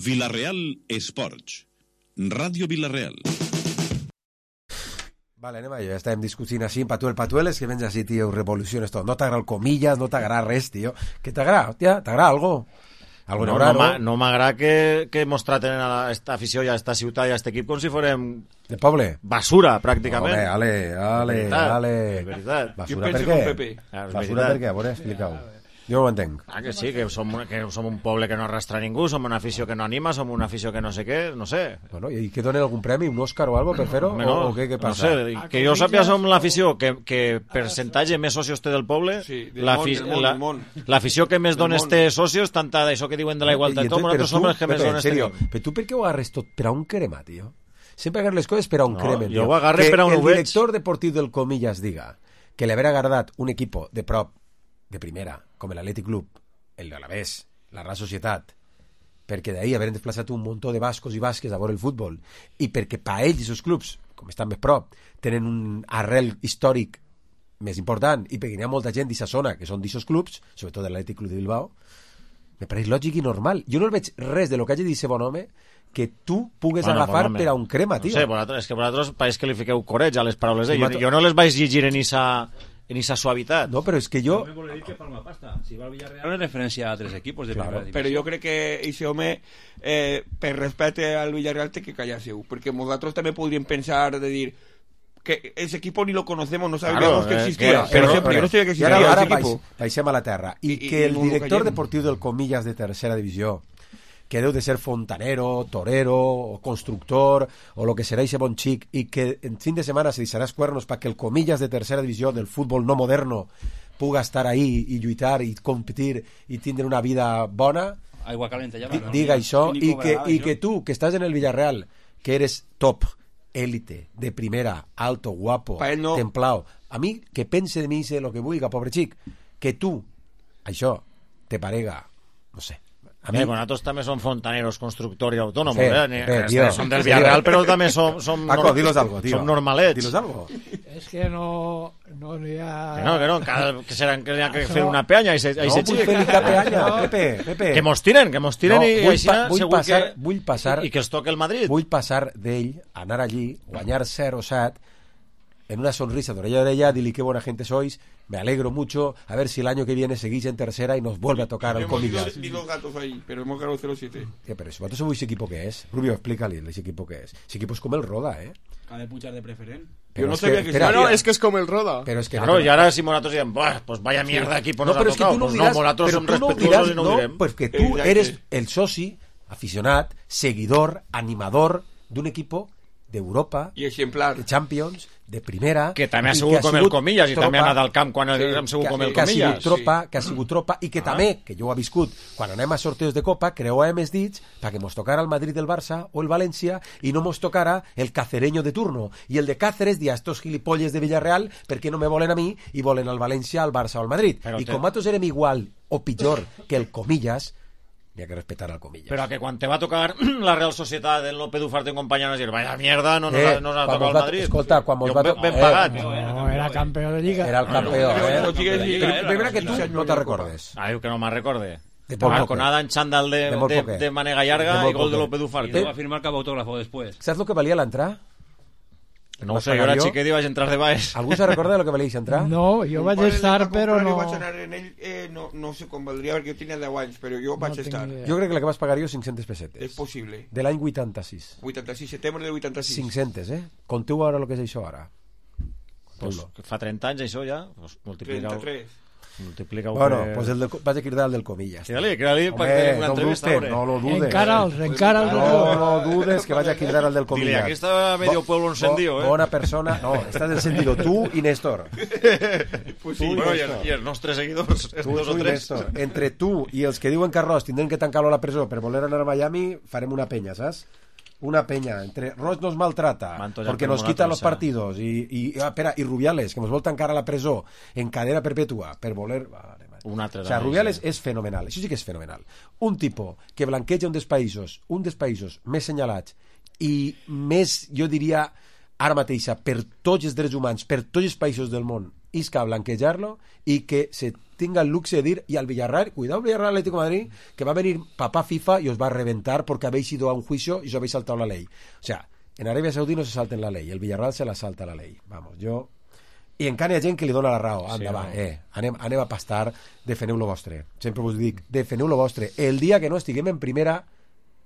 Vila-real Esports. Ràdio Vila-real. Vale, anem allà, ja estàvem discutint així, patueles, que vens així, tio, revoluciones tot. No t'agrada el comillas, no t'agrada res, tio. Què t'agrada, hòstia? T'agrada algo? Algo no m'agrada que mos traten a esta afició i a esta ciutat i a este equip com si fórem... De poble? Basura, pràcticament. Ale. Veritat. Basura per què? Basura per què? A veure, explica-ho. Jo no ho entenc. Que sí, que som un poble que no arrastra ningú, som una afició que no anima, som una afició que no sé què, no sé. Bueno, i que donen algun premi, un Òscar o algo per fer-ho? O què passa? No sé, que jo sàpia som l'afició que percentatge més socios té del poble, l'afició que més dones té socios, tanta d'això que diuen de la igualtat, nosaltres som els que més dones tenim. Però tu per què ho agarres tot per a un crema, tio? Sempre agarres les coses per a un cremen. Jo ho agarres per a un ho veig. Que el director deportiu del Comillas diga que li haver agradat un equipo de prop de primera, com l'Atlètic Club, el Alavés, la Real Societat, perquè d'ahir haver desplaçat un muntó de bascos i basques a veure el futbol, i perquè pa ells i els clubs, com estan més prop, tenen un arrel històric més important, i perquè hi ha molta gent d'aquesta zona que són d'aquests clubs, sobretot l'Atlètic Club de Bilbao, me pareix lògic i normal. Jo no veig res de lo que hagi dit aquest bon home que tu pugues agafar per a un crema, tio. No sé, és que vosaltres pareix que li fiqueu coreig a les paraules d'ell. Jo no les vaig llegir en esa suavitat. No, però és que jo... No me vol dir que palma pasta. Si va al Villarreal es referència a 3 equipos de primera división. Però jo crec que ese home, per respecte al Villarreal, té que callar-se, perquè nosaltres també podríem pensar de dir que ese equipo ni lo conocemos, no sabíamos que existía. Pero yo no sabía que existía ese equipo. Baixem a la terra. I que el director deportiu del Comillas de tercera divisió, que deu de ser fontanero, torero, o constructor, o lo que serà ese bon xic, i que en fin de setmana se deixarà els cuernos perquè el Comillas de tercera divisió del futbol no moderno puga estar ahí i lluitar i competir i tindre una vida bona, Aigua calenta, diga això, i que tu, que estàs en el Villarreal, que eres top, élite, de primera, alto, guapo, templao, a mi, que pense de mi lo que vulga, pobre xic, que tu, això, te parega, no sé. Nosaltres també som fontaneros, constructors i autònoms, som del Villarreal, però també som Paco, dilos algo, tío. Som normalets. Dilos algo. És que no n'hi ha... Que no, que serán que n'hi ha que fer una peanya i se xic. No, vull fer peanya, Pepe. Que mos tiren i així segur que... Vull passar... I que els toque el Madrid. Vull passar d'ell, anar allí, guanyar 0-7, en una sonrisa de orella a orella, dile qué buena gente sois, me alegro mucho, a ver si el año que viene seguís en tercera y nos vuelve a tocar al Comillas. Vi los gatos ahí, pero hemos ganado 0-7. Pero si vosotros sabéis ese equipo que es, Rubio, explícale ese equipo que es. Ese equipo es como el Roda, Ha de puchar de preferent. Yo no sabía que era. No, es que es como el Roda. Pero es que claro, y ahora si Moratos digan, pues vaya mierda equipo nos ha tocado. Pues no, Moratos son respetuosos y no ho direm. Pues que tú eres el soci, aficionat, seguidor, animador d'un equipo d'Europa, i exemplar, de Champions, de primera, que també ha sigut com el Comillas i també ha anat al camp quan hem sigut com el Comillas, que ha sigut tropa i que també, que jo ho he viscut quan anem a sorteos de Copa, creuàvem els dits perquè mos tocara el Madrid del Barça o el València i no mos tocara el cacereño de turno, i el de Cáceres dia estos gilipolles de Villarreal perquè no me volen a mi i volen al València, al Barça o al Madrid, i com nosaltres érem igual o pitjor que el Comillas, hi ha que respetar al Comillas. Però que quan te va tocar la Real Societat, el López Ufarte en companyia, vas dir, vaya mierda, no nos ha tocado el Madrid. Escolta, quan mos va tocar... Ben pagat. No, era campió de Lliga. Era el campió, Primera que tu no te recordes. Diu que no me'n recorde. Balconada en xandall de manega llarga i gol de López Ufarte. Va a firmar cap autógrafo después. ¿Sabes lo que valía la entrada? No ho sé, jo era xiquet i vaig entrar de baix. Algú se recorda de lo que valia entrar? No, jo vaig estar, però no... Vaig anar en ell, no sé com valdria, perquè jo tenia 10 anys, però jo vaig estar. Jo crec que la que vas pagar jo 500 pessetes. És possible. De l'any 86. 86, setembre del 86. 500, Conteu ara el que és això ara. Pues fa 30 anys això ja, pues multiplica-ho. 33. Multiplica-ho. Bueno, pues vaig a cridar el del Comillas. Cridar-li perquè tenim una entrevista. No lo dudes. Encara'ls. No dudes que vaig a cridar el del Comillas. Dile, aquí está medio pueblo encendido, Bona persona. No, estás encendido tú y Néstor. Pues sí, bueno, i els nostres seguidors, dos o tres. Entre tu i els que diuen que Ross tindrem que tancar-lo a la presó per voler anar a Miami, farem una penya, saps? Una peña, entre Ross nos maltrata porque nos quita los partidos y Rubiales, que nos vol tancar a la presó en cadena perpetua per voler... O sea, Rubiales és fenomenal, això sí que és fenomenal. Un tipo que blanqueja un dels països més senyalats i més, jo diria, ara mateixa, per tots els drets humans, per tots els països del món, isca a blanquejar-lo i que se tenga el luxe de dir, y al Villarreal, cuidado Villarreal Atlético de Madrid, que va a venir papá FIFA y os va a reventar porque habéis ido a un juicio y os habéis saltado la ley. O sea, en Arabia Saudí no se salten la ley, el Villarreal se la salta la ley. Vamos, jo... I encara hi ha gent que li dona la raó. Anda, sí, va, anem a pastar, defeneu lo vostre. Sempre us dic, defeneu lo vostre. El dia que no estiguem en primera,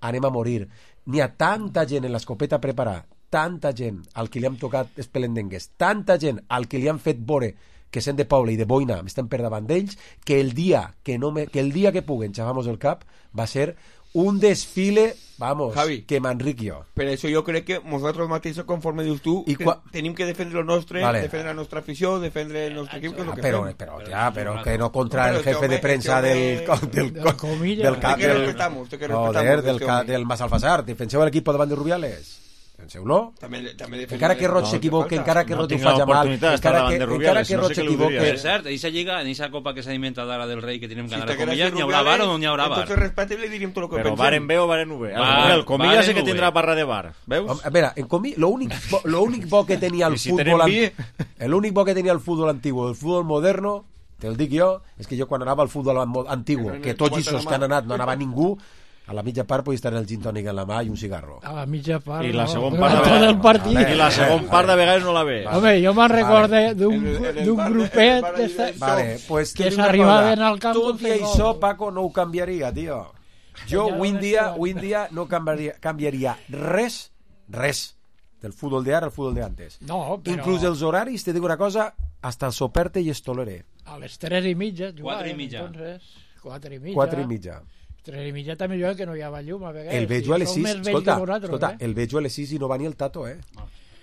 anem a morir. N'hi ha tanta gent en l'escopeta preparada, tanta gent al que li han tocat espelendengues, tanta gent al que li han fet vore que sent de poble i de boina m'estan per davant d'ells, que el dia que puguen xafamos el cap va ser un desfile, vamos, Javi, que m'enric jo. Per això jo crec que nosaltres mateixos, conforme dius tu, tenim que defendre el nostre, vale, defendre la nostra afició, defendre el nostre equip, que és el que fem. Però que no contra el jefe de prensa del Massalfassar. Defenseu l'equip davant de Rubiales. Penseu-lo. Encara que Roig s'equivoque, encara que Roig ho faci mal, encara que Roig s'equivoque. Per cert, eixa lliga, en eixa copa que s'ha inventat ara del rei que tenim que anar a Comillas, n'hi haurà bar o no n'hi haurà bar? Entonces respecte i li diríem tot el que pensem. Però varen bé o varen no bé? El Comillas sí que tindrà barra de bar, veus? A veure, l'únic bo que tenia el futbol... L'únic bo que tenia el futbol antigu, el futbol moderno, te'l dic jo, és que jo quan anava al futbol antigu, que tots els que han anat no anava ningú, a la mitja part podia estar el gin tònic en la mà i un cigarro. A la mitja part, I la no. segona part Tot el partit. I la segona part de vegades no la ve. Home, jo me'n recordo d'un grupet que s'arribaven al camp. Tot i això, Paco, no ho canviaria, tio. Jo avui en dia no canviaria res del futbol d'ara al futbol d'antes. No, però... Inclús els horaris, te dic una cosa, hasta el soperte i es tolere. A les 3:30 4 i mitja. 4 i mitja. 3 i mitja també jo que no hi havia llum a vegades. El veig a les 6, escolta, el veig a les 6 i no va ni el Tato,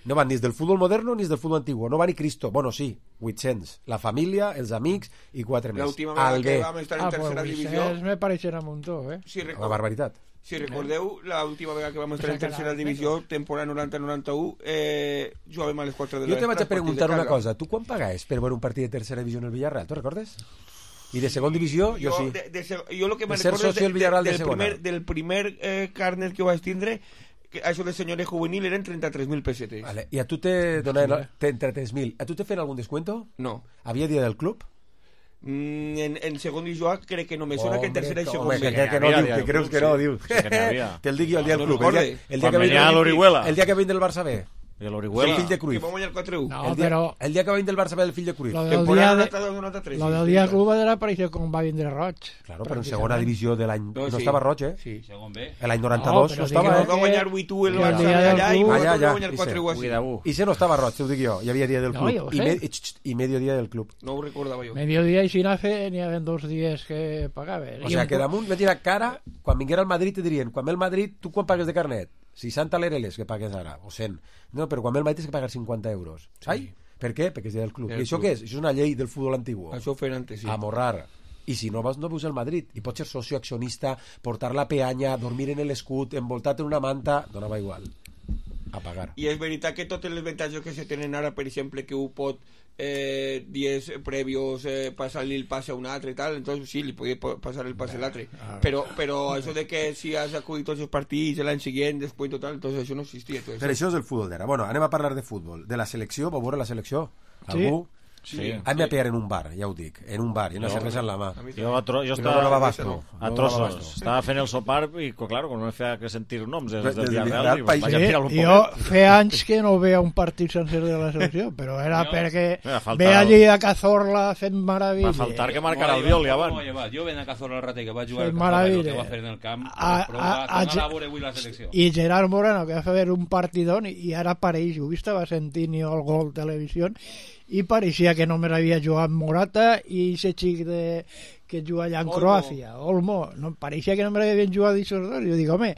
No va ni del futbol moderno ni del futbol antiguo, no va ni Cristo. Bueno, sí, 800. La família, els amics i 4 més. L'última vegada que vam estar en tercera divisió... me pareixerà un muntó, Una barbaritat. Si recordeu, l'última vegada que vam estar en tercera divisió, temporada 90-91, jugàvem a les 4 de la... Jo te vaig a preguntar una cosa. Tu quan pagaves per veure un partit de tercera divisió en el Villarreal? Tu recordes? I de segona divisió, jo sí. Jo el que me recordo del primer càrnet que vaig tindre, que això de senyoret juvenil eren 33.000 pesetes. Vale. I a tu te donaven 33.000. ¿A tu te feien algun descuento? No. ¿Había día del club? En segon divisió crec que no me sona que en tercera i segon. Que creus que no, diu. Te'l dic jo el dia del club. El dia que venia del Barça B. I l'Orihuela. El fill de Cruyff. Que va guanyar 4-1. No, però... El dia que va vindre el Barça ve el fill de Cruyff. Lo del dia del club era parecido com va vindre Roig. Claro, però en segona divisió de l'any... No estava Roig, Sí. Segon B. L'any 92 no estava, Va guanyar 8-1 el Barça allà i va guanyar 4-1. I se no estava Roig, t'ho dic jo. Hi havia dia del club. I medio dia del club. No ho recordava jo. Medio dia i si n'hi havia 2 dies que pagaven. O sea, que damunt venia cara, quan vinguera al Madrid te dirien, quan ve el Madrid, tu quan pagues de carnet? 60 l'ERLs que pagues ara, o 100. No, però quan ve el Madrid tens que pagar 50 euros. Sí. Per què? Perquè és del club. I això què és? Això és una llei del futbol antigu. Això ho feien antes, sí. Amorrar. I si no vas, no veus el Madrid. I pots ser socio accionista, portar la peanya, dormir en l'escut, envoltat en una manta, donava igual. A pagar. I és veritat que totes les avantatges que se tenen ara, per exemple, que ho pot dies previos passar-li el passe a un altre i tal, entonces sí, li podia passar el passe a l'altre, però això de que si has acudit tots els partits l'any següent, després total, entonces això no existia. Però això és el futbol d'ara. Bueno, anem a parlar de futbol. De la selecció, vau veure la selecció? Algú? Sí. Hem de pillar en un bar, ja ho dic, en un bar, i una cervesa en la mà. Jo estava a trossos, estava fent el sopar i, claro, no me feia que sentir noms des del Villarreal i vaig a tirar un poc. Jo feia anys que no veia un partit sencer de la selecció, però era perquè veia allí a Cazorla fent meravelles. Va faltar que marcara el Viol, ja van. Jo ven a Cazorla el rater que va jugar el que va fer en el camp, però va veure avui la selecció. I Gerard Moreno, que va fer un partidón, i ara pareix, ho estava sentint jo el gol televisió, i pareixia que només havia jugat Morata i aquest xic que juga allà en Croàcia, Olmo, no, pareixia que només havien jugat aquests dos. Jo dic, home,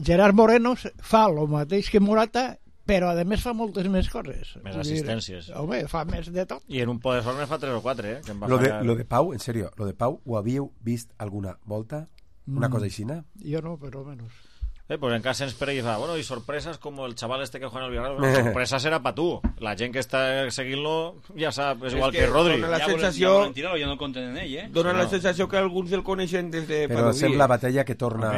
Gerard Moreno fa el mateix que Morata, però a més fa moltes més coses, més assistències, home, fa més de tot, i en un poder forma fa 3 o 4 que lo de Pau, en serio, lo de Pau ho havíeu vist alguna volta? Una cosa aixina? Jo no, però menys. Pues en casa ens preguiza, bueno, y sorpresas como el chaval este que juega en el Villarreal. Bueno, sorpresa será para tú. La gent que està seguint-lo ja sap, és igual que Rodri. Dona la sensació... Ja no compten en ell, Dona la sensació que alguns el coneixen des de... Però sembla Batalla que torna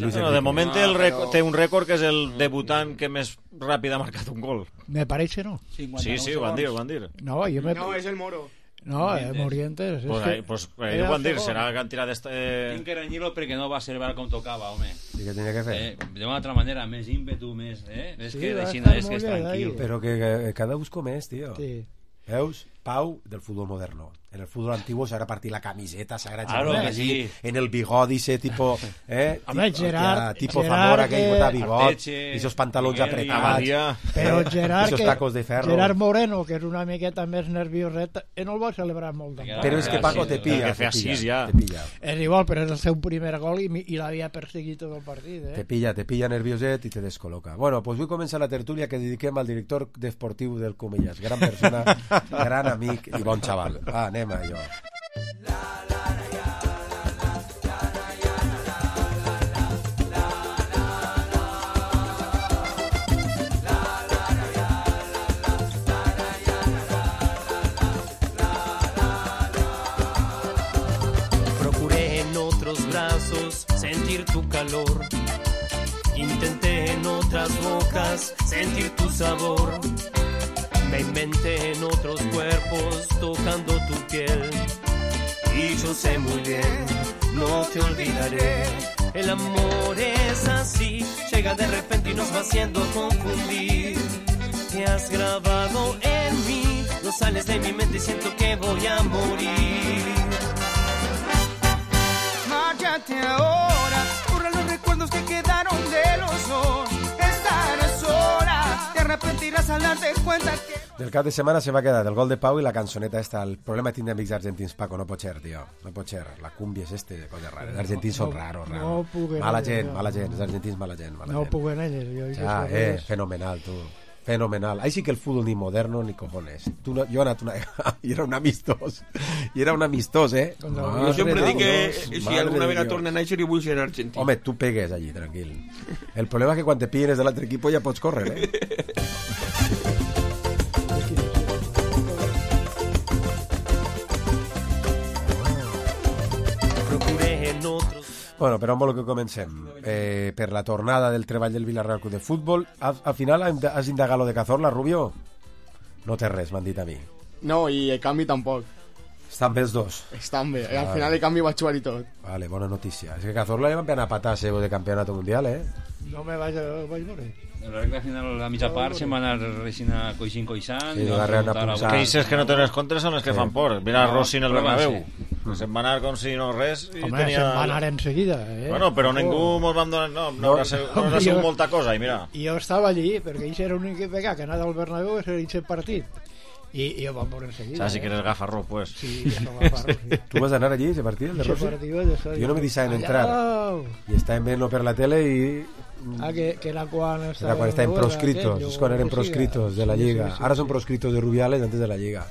Luis Enrique. De moment té un rècord que és el debutant que més ràpid ha marcat un gol. Me parece, ¿no? Sí, ho van dir. No, és el Moro. No, Morientes. Pues ho van dir, serà cantidad de... Tinc que renyir-lo perquè no va celebrar com tocava, home. I què tenia que fer? D'una altra manera, més ímpetu, més... És que deixina és que és tranquil. Però que cada busco més, tio. Sí. Veus? Pau del fútbol moderno. En el fútbol antiguo se habrá partido la camiseta, se habrá claro que allí, sí. En el bigodi ese tipo, Hombre, Gerard, tipo Zamora que bota bigot, y esos pantalones apretados, pero Gerard, esos tacos de ferro. Gerard Moreno, que és una miqueta més nervioset, no el va celebrar molt. Però és que Paco te pilla. És igual, però és el seu primer gol i l'havia perseguit tot el partit. Te pilla nervioset i te descol·loca. Bueno, pues vull començar la tertúlia que dediquem al director deportiu del Comillas, gran persona, gran amic i bon xaval. Va, anem a allò. Procuré en otros brazos sentir tu calor. Intenté en otras bocas sentir tu sabor. Me inventé en otros cuerpos tocando tu piel. Y yo sé muy bien, no te olvidaré. El amor es así, llega de repente y nos va haciendo confundir. Te has grabado en mí, no sales de mi mente y siento que voy a morir. Márchate ahora, borra los recuerdos que quedaron de los dos. Estarás sola, te arrepentirás al darte cuenta que... Del cap de setmana se va quedar el gol de Pau i la cançoneta esta. El problema de tindre amics argentins, Paco, no pot ser, tio. No pot ser. La cumbia és de coses rares. Els argentins són raros. No mala gent. Els argentins, mala gent. No puc en ells. Fenomenal, tu. Fenomenal. Ahí sí que el fútbol ni moderno ni cojones. Yo y era un amistós. I era un amistós, Jo sempre dic que si alguna vegada torna a néixer i vull ser argentí. Home, tu pegues allí, tranquil. El problema és que quan te pilles de l'altre equip ja pots córrer, Bueno, però amb el que comencem. Per la tornada del treball del Villarreal Club de Futbol, al final has indagat lo de Cazorla, Rubio? No té res, m'han dit a mi. No, i el canvi tampoc. Estan bé els dos. Estan bé, al final el canvi va jugar i tot. Vale, bona notícia. És que Cazorla li van anar a patar de campeonato mundial, No me vaig veure. En la recta final, la mitja part, se'n va anar coixant. Sí, va anar a punxar. Que dices que no tenen contres són els que fan por. Mira Rossi en el Bernabéu. Se'n va anar com si no res. Home, se'n va anar enseguida. Bueno, però ningú mos vam donar... No ha sigut molta cosa, i mira. I jo estava allí, perquè ells era l'únic que anava al Bernabéu a ser aquest partit. I ho vam veure enseguida. Saps si que eres gafarró, pues. Sí, gafarró, sí. Tu vas anar allí, ese partit, el de Rossi? Jo no me deixaven entrar. I estàvem veient per la tele i... que era quan estaven proscritos, és quan eren proscritos de la Lliga. Ara són proscritos de Rubiales antes de la Lliga.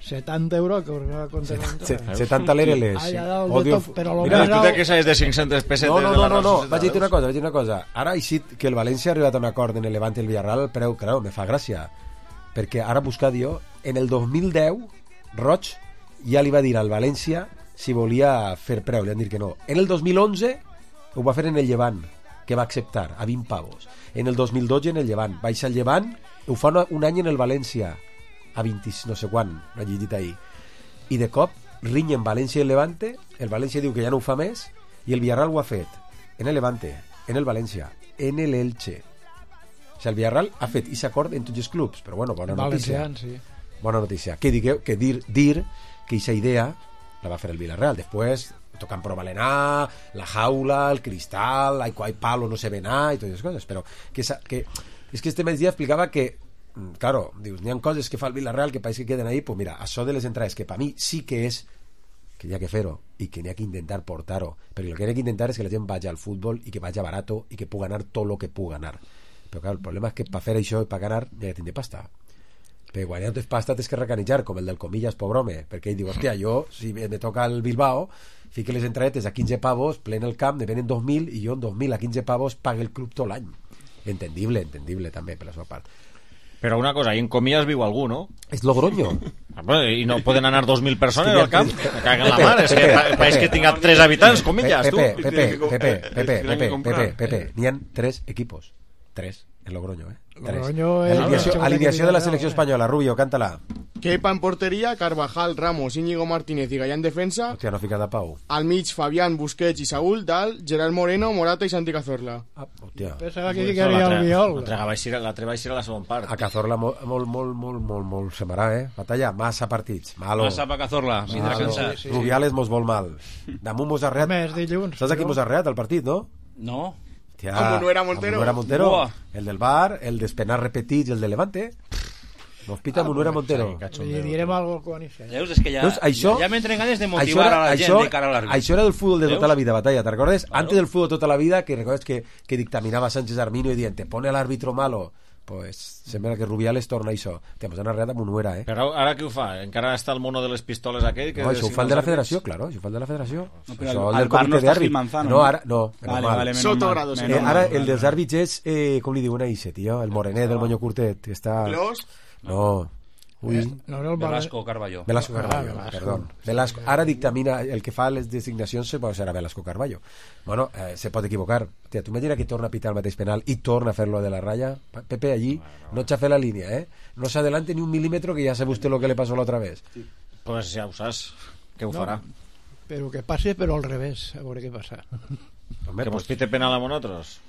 70 euros que us va contenir. 70 l'ereles. Mira, tu te queixes de 500 pessetes de la No, vaig dir una cosa. Ara ha eixit que el València ha arribat a un acord en el Levante i el Villarreal, però, claro, me fa gràcia. Perquè ara buscat jo, en el 2010, Roig ja li va dir al València si volia fer preu, li han dit que no. En el 2011 ho va fer en el Llevant, que va acceptar, a 20 pavos. En el 2012 en el Llevant. Baixa el Llevant, ho fa un any en el València, a 20, no sé quan, no he llegit ahir. I de cop, rinyen València i el Levante, el València diu que ja no ho fa més, i el Villarreal ho ha fet en el Levante, en el València, en el Elche. O sigui, el Villarreal ha fet aquest acord en tots els clubs, però bueno, bona notícia. Sí. Bona notícia. Que dir que aquesta idea la va fer el Villarreal. Després tocan por Valená, la jaula, el cristal, hay palo, no se ve nada y todas esas cosas, pero que es que este migdia explicava que, claro, dius, n'hi ha coses que fa el Villarreal que pareix que queden ahí, pues mira, això de les entrades, que per mi sí que és que hi ha que fer-ho i que n'hi ha que intentar portar-ho, perquè el que n'hi ha que intentar és que la gent vagi al futbol i que vagi barato i que pugui anar tot el que pugui anar. Però clar, el problema és que per fer això i per ganar n'hi ha que tindre pasta. Però quan ja no tens pasta tens que recanitzar, com el del Comillas, pobre home, perquè ell diu, hòstia, jo, si me toca el Bilbao, fique les entradetes a 15 pavos, plen el camp, me venen 2.000 i jo en 2.000 a 15 pavos pague el club tot l'any. Entendible també per la seva part. Però una cosa, ahí en Comillas viu algú, ¿no? És Logroño. I no poden anar 2.000 persones al camp? Me caguen la mar, és que pareix que tinga 3 habitants, Comillas, tu. Pepe, n'hi ha 3 equipos. 3, en Logroño, Logroño alineació de la selecció espanyola. Rubio, cántala. Kepa en porteria, Carvajal, Ramos, Íñigo Martínez i Gallà en defensa. Hòstia, no fica de Pau. Al mig, Fabián, Busquets i Saúl, dalt, Gerard Moreno, Morata i Santi Cazorla. Hòstia. Pensava que ficaria el Viol. L'altre va eixir a la segona part. A Cazorla molt semarà, Batalla, massa partits. Malo. Massa pa Cazorla, vindrà cansat. Rubiales mos vol mal. Damunt mos ha arreat. Saps a qui mos ha arreat el partit, no? No. Hòstia, Munuera Montero. El del Bar, el d'Espenar repetits i el de Levante. Nos pita Munuera Montero. Li direm algo quan hi sigui. Veus, és que ja m'entren ganes de motivar a la gent de cara a l'àrbitre. Això era del futbol de tota la vida, Batalla, ¿te recordes? Claro. Antes del fútbol de tota la vida, que recordes que dictaminava Sánchez Arminio i dient, te pone al árbitro malo. Pues sembla que Rubiales torna això. Te mos han arreat a Munuera, Però ara què ho fa? Encara està el mono de les pistoles aquell? No, això ho fa el de la federació, claro. Això ho fa el de la federació. No, però el bar no està Gil Manzano. No, ara, no. Vale, Sotogrado. Ara el dels àrbits és, com li diuen a Ixe, tio? El morenet del moño curtet, que està... Clos? No. Velasco Carballo, perdón. Velasco. Ara dictamina, el que fa les designacions serà Velasco Carballo. Bueno, se pot equivocar. Tia, tu imagina que torna a pitar el mateix penal i torna a fer-lo de la raya. Pepe allí no xafe la línia, no s'adelante ni un milímetro, que ja sabe usted lo que le pasó la otra vez. Pues ja ho saps, que ho farà. Però que passe, però al revés, a veure què passa. Que mos pite penal a nosaltres.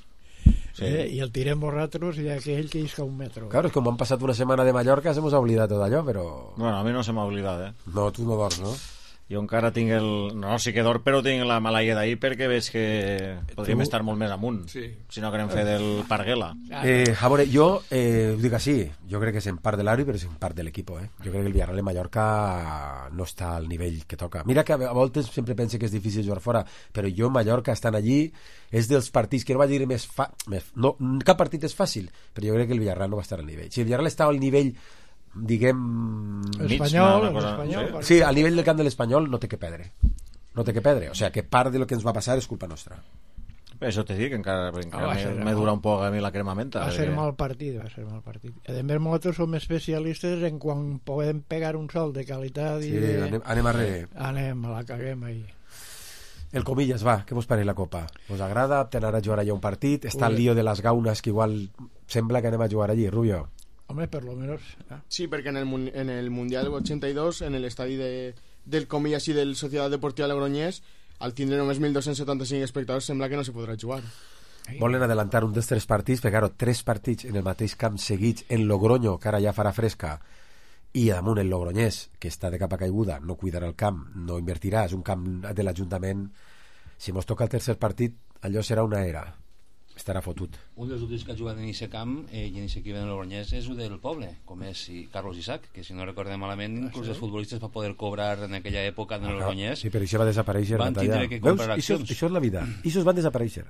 Sí. I el tirem vosaltres i aquell que isca un metro. Claro, és que com han passat una setmana de Mallorca se mos ha oblidat tot allò, però... Bueno, a mi no se m'ha oblidat, No, tu no dors, no? Jo encara tinc el... No, sí que dorm, però tinc la malaia d'ahir perquè veig que podríem estar molt més amunt, si no querem fer del Parguela. A veure, jo ho dic així, jo crec que és en part de l'àrbit, però és en part de l'equip, Jo crec que el Villarreal de Mallorca no està al nivell que toca. Mira que a voltes sempre pense que és difícil jugar fora, però jo Mallorca estant allí és dels partits que no vaig dir més no, cap partit és fàcil, però jo crec que el Villarreal no va estar al nivell. Si el Villarreal estava al nivell diguem... Espanyol, sí, al nivell del camp de l'Espanyol no té que perdre. O sigui, que part de lo que ens va passar és culpa nostra. Això te dic, encara me dura un poc a mi la cremamenta. Va ser mal partit. A més, nosaltres som especialistes en quan podem pegar un sol de qualitat i anem a la caguem ahí. El Comillas, va, què vos pareix la Copa? Vos agrada? Tenar a jugar allà un partit? Està el lío de les gaunes, que igual sembla que anem a jugar allí, Rubio. Hombre, por lo menos... Sí, perquè en el Mundial 82, en l'estadi del Comillas i del Societat Deportiva Logroñés, al tindre només 1.275 espectadors, sembla que no se podrà jugar. Volen adelantar un dels 3 partits, perquè, claro, 3 partits en el mateix camp seguits en Logroño, que ara ja farà fresca, i damunt el Logroñés, que està de capa caiguda, no cuidarà el camp, no invertirà, és un camp de l'Ajuntament. Si mos toca el tercer partit, allò serà una era. Estarà fotut. Un dels últims que ha jugat en aquest camp i en aquest equip de Logroñés és el del poble, com és Carlos Isaac, que si no recordem malament, inclús els futbolistes per poder cobrar en aquella època en el Logroñés. Sí, però això va desaparèixer. Van tindre que comprar accions. Això és la vida. Això van desaparèixer,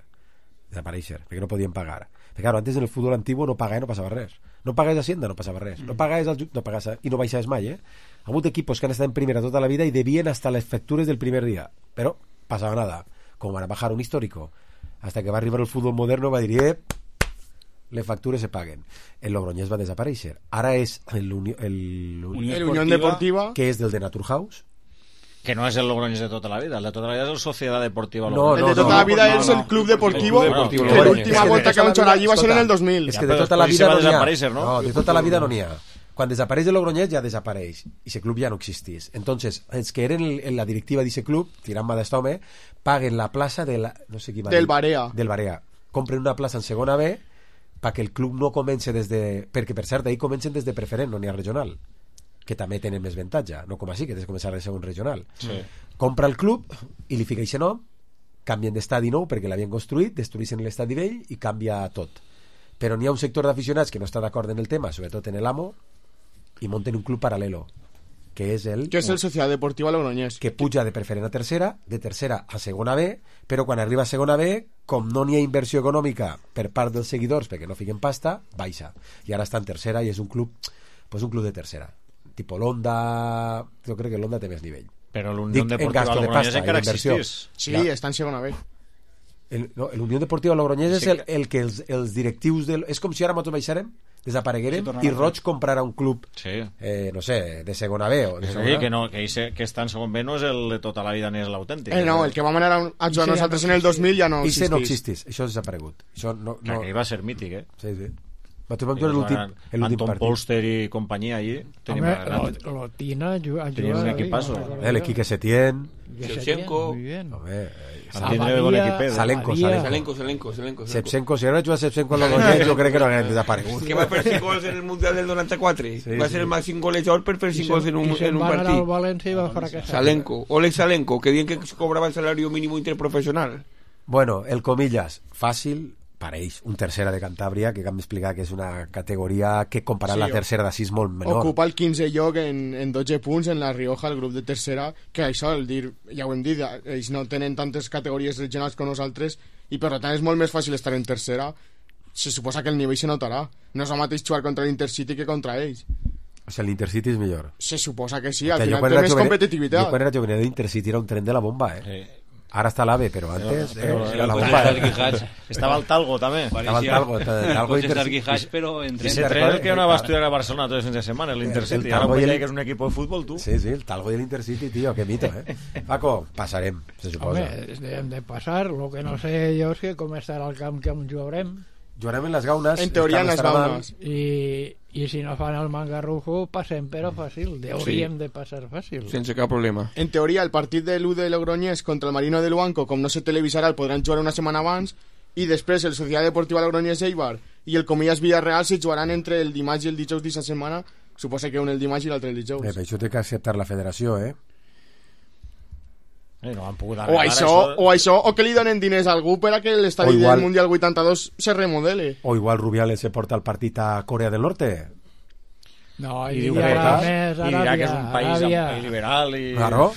perquè no podien pagar. Perquè, claro, antes en el futbol antiguo no pagar no passava res. No pagaves Hacienda, no passava res. No pagaves no pagaves, i no baixaves mai, Ha hagut equipos que han estat en primera tota la vida i devien hasta les factures del primer dia. Però passava nada. Com van a bajar un histórico. Hasta que va arribar el fútbol moderno va dir les factures se paguen. El Logroñés va desaparèixer. Ara és el Unión Deportiva, que és del de Naturhaus, que no és el Logroñés de tota la vida. El de tota la vida és el Sociedad Deportiva Logroñés. El de tota la vida és el Club Deportivo, que l'última volta que van jugar allí va ser en el 2000. És que de tota la vida no n'hi ha. No, de tota la vida no n'hi ha. Quan desapareix el Logroñés ja desapareix i ese club ja no existís. Entonces, els que eren en la directiva d'ese club, tirant-me d'estome, paguen la plaça de la, no sé qui va del Barea. Del Barea. Compren una plaça en segona B perquè el club no comenci des de... Perquè, per cert, ahí comencen des de preferent, no n'hi ha regional, que també tenen més avantatge, no com així, que tens que començar de segon regional. Sí. Compra el club i li fica aquest nom, canvien d'estadi nou perquè l'havien construït, destruïssin l'estadi vell i canvia tot. Però n'hi ha un sector d'aficionats que no està d'acord en el tema, sobretot en l'AMO, i monten un club paral·lelo, que és el Societat Deportiva Logroñés, que puja de preferent a tercera, de tercera a segona B, però quan arriba a segona B, com no n'hi ha inversió econòmica per part dels seguidors perquè no fiquen pasta, baixa, i ara està en tercera i és un club pues un club de tercera. Tipo l'Onda, jo crec que l'Onda té més nivell. Però l'Unió Deportiva Logroñés encara existís. Sí, està en segona B. L'Unió Deportiva Logroñés és el que els directius és com si ara nosaltres baixarem, desapareguerem i Roig comprarà un club no sé, de segona B o de segona. Que està en segon B no és el de tota la vida ni és l'autèntic. No, el que vam anar a jugar nosaltres en el 2000 ja no existís. No existís, això ha desaparegut. Que va ser mític, Sí. Nosaltres vam jugar l'últim Anton Polster i companyia allí. L'Otina tenien un equipazo. L'Equique Setién, Shevchenko, Salenko. Shevchenko, si no jugat Shevchenko en l'Ogroñés, jo crec que no haguem desaparegut. Que va fer 5 gols en el Mundial del 94. Va ser el màxim golejador per fer 5 gols en un partit. Va anar al València i va fracassar. Salenko, Oleg Salenko, que diuen que cobrava el salario mínimo interprofessional. Bueno, el comillas, fàcil, pareix, un tercera de Cantàbria, que hem d'explicar que és una categoria que comparat la tercera d'Assís molt menor. Ocupa el 15è lloc en 12 punts en la Rioja, el grup de tercera, que això, ja ho hem dit, ells no tenen tantes categories regionals com nosaltres i per tant és molt més fàcil estar en tercera. Se suposa que el nivell se notarà. No és el mateix jugar contra l'Intercity que contra ells. O sigui, l'Intercity és millor. Se suposa que sí, al final té més competitivitat. Jo quan era jove l'Intercity era un tren de la bomba, Ara està l'AVE, però antes la bomba estava el Talgo també. Estava el Talgo però i se tren que va estudiar a Barcelona tots els fins de setmana, l'Intercity. Ara vull dir que és un equip de futbol, tu. Sí, el Talgo i l'Intercity, tio, que mito, Paco, passarem, se suposa. Home, hem de passar, lo que no sé jo és que com estarà el camp que jugarem. Jugarem en les Gaunes. En teoria en les Gaunes. I si no fan el Mangarrufo passem però fàcil, hauríem de passar fàcil sense cap problema. En teoria el partit de l'1 de Logroñés contra el Marino de Luanco, com no se televisarà, el podran jugar una setmana abans i després el Societat Deportiva Logroñés Eibar i el Comillas Villarreal se jugaran entre el dimarts i el dijous d'aquesta setmana, suposa que un el dimarts i l'altre el dijous. Per això té que acceptar la federació, no han pogut o això, o que li donen diners a algú per a que l'estadi del Mundial 82 se remodele. O igual Rubiales se porta el partit a Corea del Norte. No, i dirà que és un país liberal i... Claro.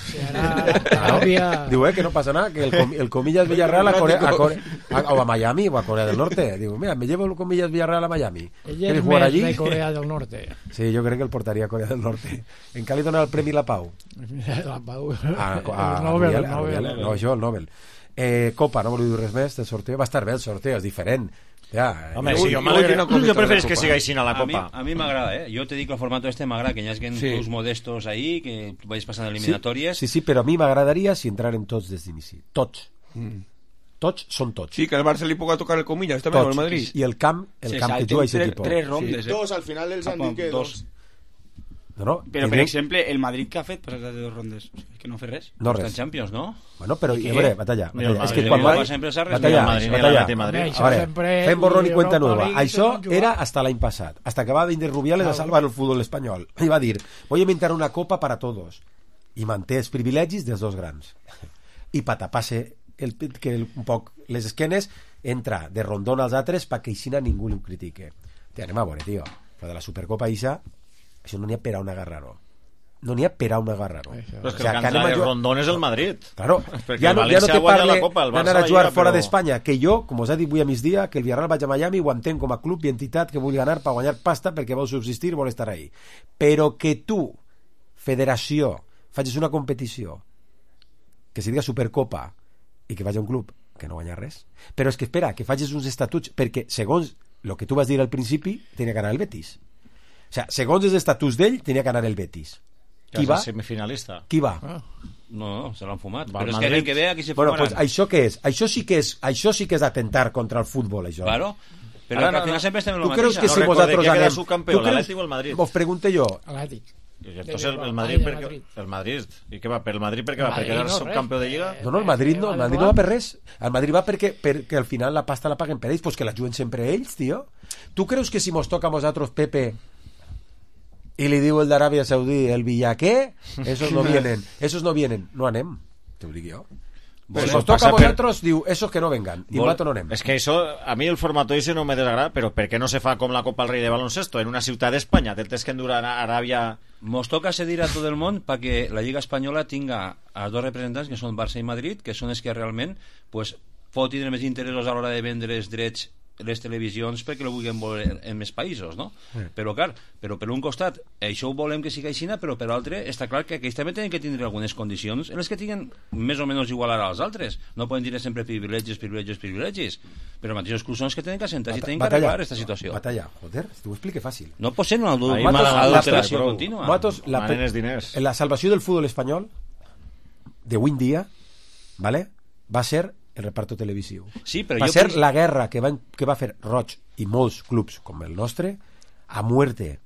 Diu, que no passa nada, que el Comillas Villarreal o a Miami o a Corea del Norte. Diu, mira, me llevo el Comillas Villarreal a Miami. Ell és més de Corea del Norte. Sí, jo crec que el portaria a Corea del Norte. En què li dona el Premi La Pau? La Pau. El Nobel. No, això, el Nobel. Copa, no voleu dir res més del sorteo? Va estar bé el sorteo, és diferent. Home, sí, jo preferís que siga així a la Copa. A mi m'agrada, Jo te dic el formato m'agrada, que hi hagi clubs modestos ahí, que vagis passant eliminatòries. Sí, però a mi m'agradaria si entraren tots des d'inici. Tots. Tots són tots. Sí, que al Barça li puga tocar el Comillas, també, al Madrid. I el camp que juga aquest equip. 3 rondes. Dos, al final els han dit que dos. No, però per exemple el Madrid que ha fet passar de 2 rondes que no fa res, no res. Està en Champions, no? Bueno, però batalla. És que quan batalla. Fem borrón y cuenta nueva. Això era hasta l'any passat, hasta que va venir Rubiales a salvar el fútbol espanyol i va dir, voy a inventar una copa para todos i manté els privilegis dels dos grans i pa tapar-se un poc les esquenes, entra de rondón als altres perquè així ningú li ho critique. Anem a veure, tio, però de la Supercopa això no n'hi ha per a un agarrar-ho. No n'hi ha per a un agarrar-ho. Però és que el que de Rondón és el Madrid. Claro, ja no te parle d'anar a jugar fora d'Espanya, que jo, com us he dit avui a migdia, que el Villarreal vaig a Miami ho entenc com a club i entitat que vull anar per guanyar pasta perquè vol subsistir i vol estar ahí. Però que tu, federació, facis una competició que se diga Supercopa i que vagi a un club que no guanya res. Però és que espera, que facis uns estatuts, perquè segons el que tu vas dir al principi, tenia que anar el Betis. O sigui, segons els estatuts d'ell, tenia que anar el Betis. Qui va? Semifinalista. Qui va? No, se l'han fumat. Però és que l'any que ve aquí se fumaran. Pues això què és? Això sí que és atentar contra el futbol, això. Claro. Però al final sempre estem en el mateix. Tu creus que si vosaltres anem... l'Atlètic o el Madrid? Vos pregunte jo. L'Atlètic. Entonces el Madrid ¿y qué va? ¿Per el Madrid perquè va? ¿Perquè era subcampió de Lliga? No, el Madrid no va per res. El Madrid va perquè al final la pasta la paguen per ells, pues que la juguen sempre ells, tio. Tu creus que si mos toca a nosaltres, Pepe, y le diu el d'Aràbia Saudí, el Villaqué, esos no vienen, no anem, te ho dic jo. Pues si nos toca a vosaltres, diu, esos que no vengan, i nosaltres no anem. És que això, a mi el formato ese no me desagrada, però per què no se fa com la Copa del Rei de baloncesto, en una ciutat d'Espanya, tens que endurar a Aràbia... Mos toca cedir a tot el món perquè la Lliga Espanyola tinga a dos representants, que són Barça i Madrid, que són els que realment pues, pot tindre més interessos a l'hora de vendre els drets les televisions perquè lo vulguin veure en més països, no? Però clar, però per un costat això ho volem que sigui així, però per l'altre està clar que aquells també tenen que tindre algunes condicions en les que tinguin més o menys igualar als altres. No poden dir sempre privilegis, però mateixos clubs són els que tenen que assentar i tenen que arreglar aquesta situació. Joder, t'ho explique fàcil. No pot ser una adulteració contínua. La salvació del futbol espanyol d'avui en dia, ¿vale? Va ser el reparto televisiu. Sí, però va ser la guerra que va fer Roig i molts clubs com el nostre a muerte,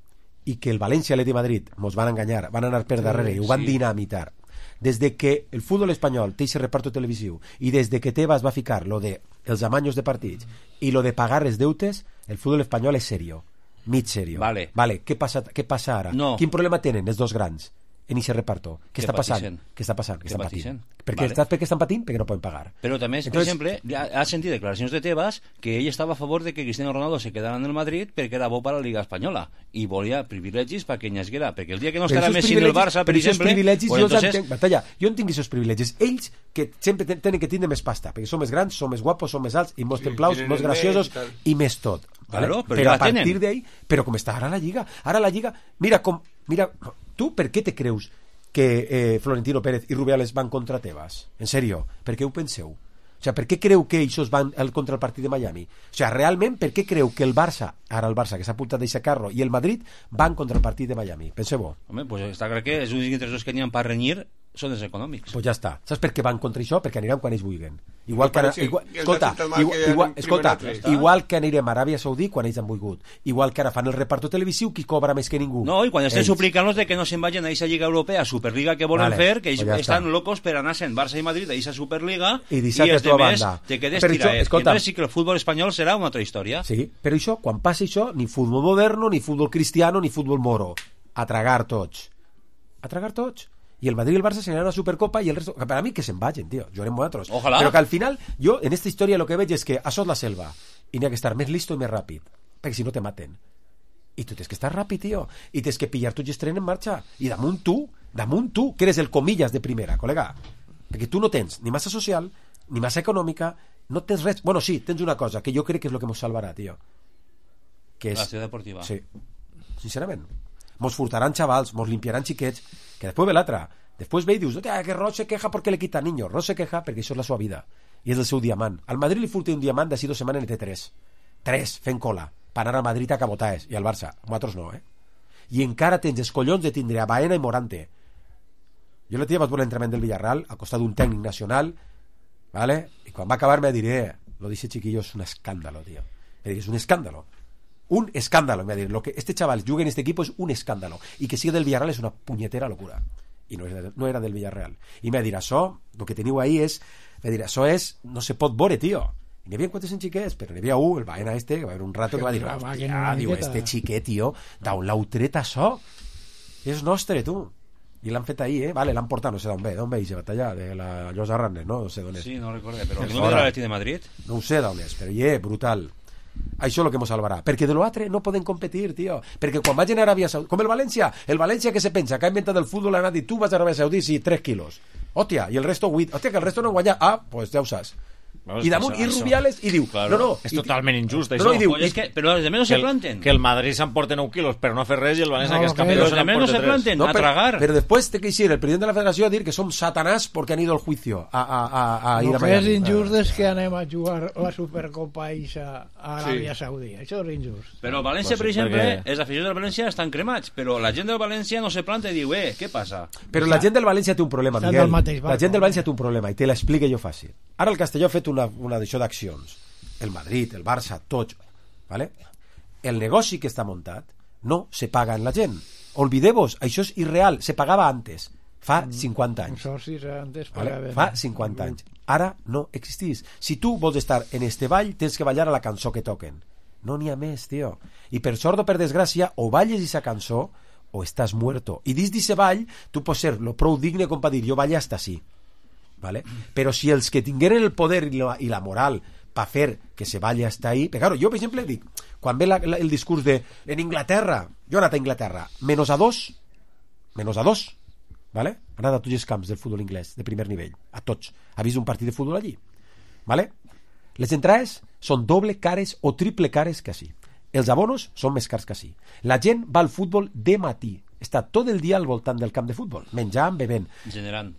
i que el València i l'Atlètic de Madrid mos van enganyar, van anar per darrere i ho van dinamitar. Des de que el futbol espanyol té aquest reparto televisiu i des de que Tebas va ficar lo de els amanyos de partits i lo de pagar els deutes, el futbol espanyol és serio, mig serio. Vale. Què passa ara? No. Quin problema tenen els dos grans en aquest reparto? Què està passant? Que estan patint. Perquè estan patint? Perquè no poden pagar. Però també, per exemple, ha sentit declaracions de Tebas que ell estava a favor de que Cristiano Ronaldo se quedara en el Madrid perquè era bo per a la Liga Espanyola i volia privilegis perquè ell n'esguera, perquè el dia que no estarà Messi en el Barça, per exemple... Jo entenc aquests privilegis. Ells que sempre tenen que tindre més pasta, perquè són més grans, són més guapos, són més alts i més templaus, més graciosos i més tot. Claro, però a partir d'ahí, però com està ara la Lliga, mira, tu per què te creus que Florentino Pérez i Rubiales van contra Tebas? En serio, per què ho penseu? O sea, per què creu que ells van contra el partit de Miami? O sea, realment, per què creu que el Barça, ara el Barça que s'ha apuntat d'aquest carro, i el Madrid van contra el partit de Miami? Penseu-ho. Home, pues està clar que els únics interessos que n'hi ha per renyir són els econòmics. Pues ja està. Saps per què van contra això? Perquè aniran quan ells vulguin. Igual que anirem a Aràbia Saudí quan ells han volgut. Igual que ara fan el reparto televisiu, qui cobra més que ningú. No, i quan estem suplicant-los de que no se'n vagin a aquesta Lliga Europea, Superliga que volen fer, que ells estan locos per anar-se'n Barça i Madrid a aquesta Superliga i els demés te quedes tiraet. I entonces sí que el futbol espanyol serà una altra història. Sí, però això, quan passa això, ni futbol moderno, ni futbol cristiano, ni futbol moro. A tragar tots. Y el Madrid y el Barça se ganan la Supercopa y el resto, para mí que se vagin, tío, llorem vosaltres. Ojalá. Pero que al final, yo en esta historia lo que veig és que això és la selva i n'hi ha que estar més listo i més ràpid, perquè si no te maten. I tu tens que estar ràpid, tío, i tens que pillar tots els trens en marxa, i damunt tu, que eres el comillas de primera, col·lega, perquè tu no tens ni massa social, ni massa econòmica, no tens res. Bueno, sí, tens una cosa que jo crec que és lo que mos salvarà, tío, que és la ciutat deportiva. Sí, sincerament. Mos furtaran xavals, mos limpiaran xiquets, que després ve l'altra. Després ve i dius, que Roig se queja perquè le quita niños. Roig se queja perquè això és la seva vida i és el seu diamant. Al Madrid li furta un diamant d'ací 2 setmanes en té 3 fent cola per anar a Madrid a cabotaes, i al Barça, nosaltres no, i encara tens els collons de tindre a Baena i Morante. Jo l'altre dia vaig veure l'entrenament del Villarreal al costat d'un tècnic nacional, ¿vale? I quan va acabar me diré, lo dice chiquillo, es un escándalo, tío. Es un escándalo. Un escándalo, me va a decir, lo que este chaval juega en este equipo es un escándalo, y que siga del Villarreal es una puñetera locura, y no era del Villarreal, y me va a dir, això, lo que teniu ahí és, me va dir, això és, no se pot veure, tío. I n'hi havia quantos en xiquets, però n'hi havia un, el Baena que va haver un rato que va dir, hòstia, diu, este xiquet, tío, d'on l'heu tret això? És nostre, tu. I l'han fet ahir, vale, l'han portat, no sé d'on ve aquesta batalla, de la Llosa Rannes, no sé d'on és. Sí, no recordo, però no ve de l'Atlètic de Madrid? No ho sé d'on és, però brutal. Això és el que ens salvarà, perquè de l'altre no poden competir, tio, perquè quan vagin a Aràbia Saudí, com el València que se pensa que ha inventat el futbol, ha dit, tu vas a Aràbia Saudí, sí, 3 quilos, hòstia, i el resto 8, hòstia, que el resto no guanya, pues ja ho saps. I damunt, i Rubiales, i diu, claro, no, és totalment injust, això. No, diu, però els demés no se planten. Que el Madrid s'emporta 9 quilos per no fer res i el València que és campió els demés no se planten, a tragar. Però després té que ir el president de la federació a dir que som satanàs perquè han ido al juicio a ir a Miami. El que és injust és que anem a jugar la Supercopa a Aràbia Saudí. Això és injust. Però el València, per exemple, els aficionats del València estan cremats, però la gent del València no se planta i diu, què passa? Però la gent del València té un problema, Miguel. La gent del València té un problema, i te l'explique jo fàcil. Ara el Castelló ha fet una d'això d'accions. El Madrid, el Barça, tots, ¿vale? El negoci que està muntat no se paga en la gent. Olvideu-vos, això és irreal, se pagava antes, fa 50 anys. ¿Vale? Fa 50 anys. Ara no existís. Si tu vols estar en este ball, tens que ballar a la cançó que toquen. No n'hi ha més, tio. I per sort o per desgràcia, o balles aquesta cançó o estàs muerto. I dins d'aquest ball, tu pots ser lo prou digne com per dir, jo balle hasta así. ¿Vale? Però si els que tingueren el poder i la moral per fer que se balli hasta ahí, però claro, jo per exemple dic, quan ve el discurs de en Inglaterra, jo he anat a Inglaterra menos a dos, ¿vale? Ha anat a tots els camps del futbol inglès de primer nivell, a tots, ha vist un partit de futbol allí, ¿vale? Les entrades són doble cares o triple cares que així. Els abonos són més cars que així. La gent va al futbol de matí. Està tot el dia al voltant del camp de futbol, menjant, bevent. Generant.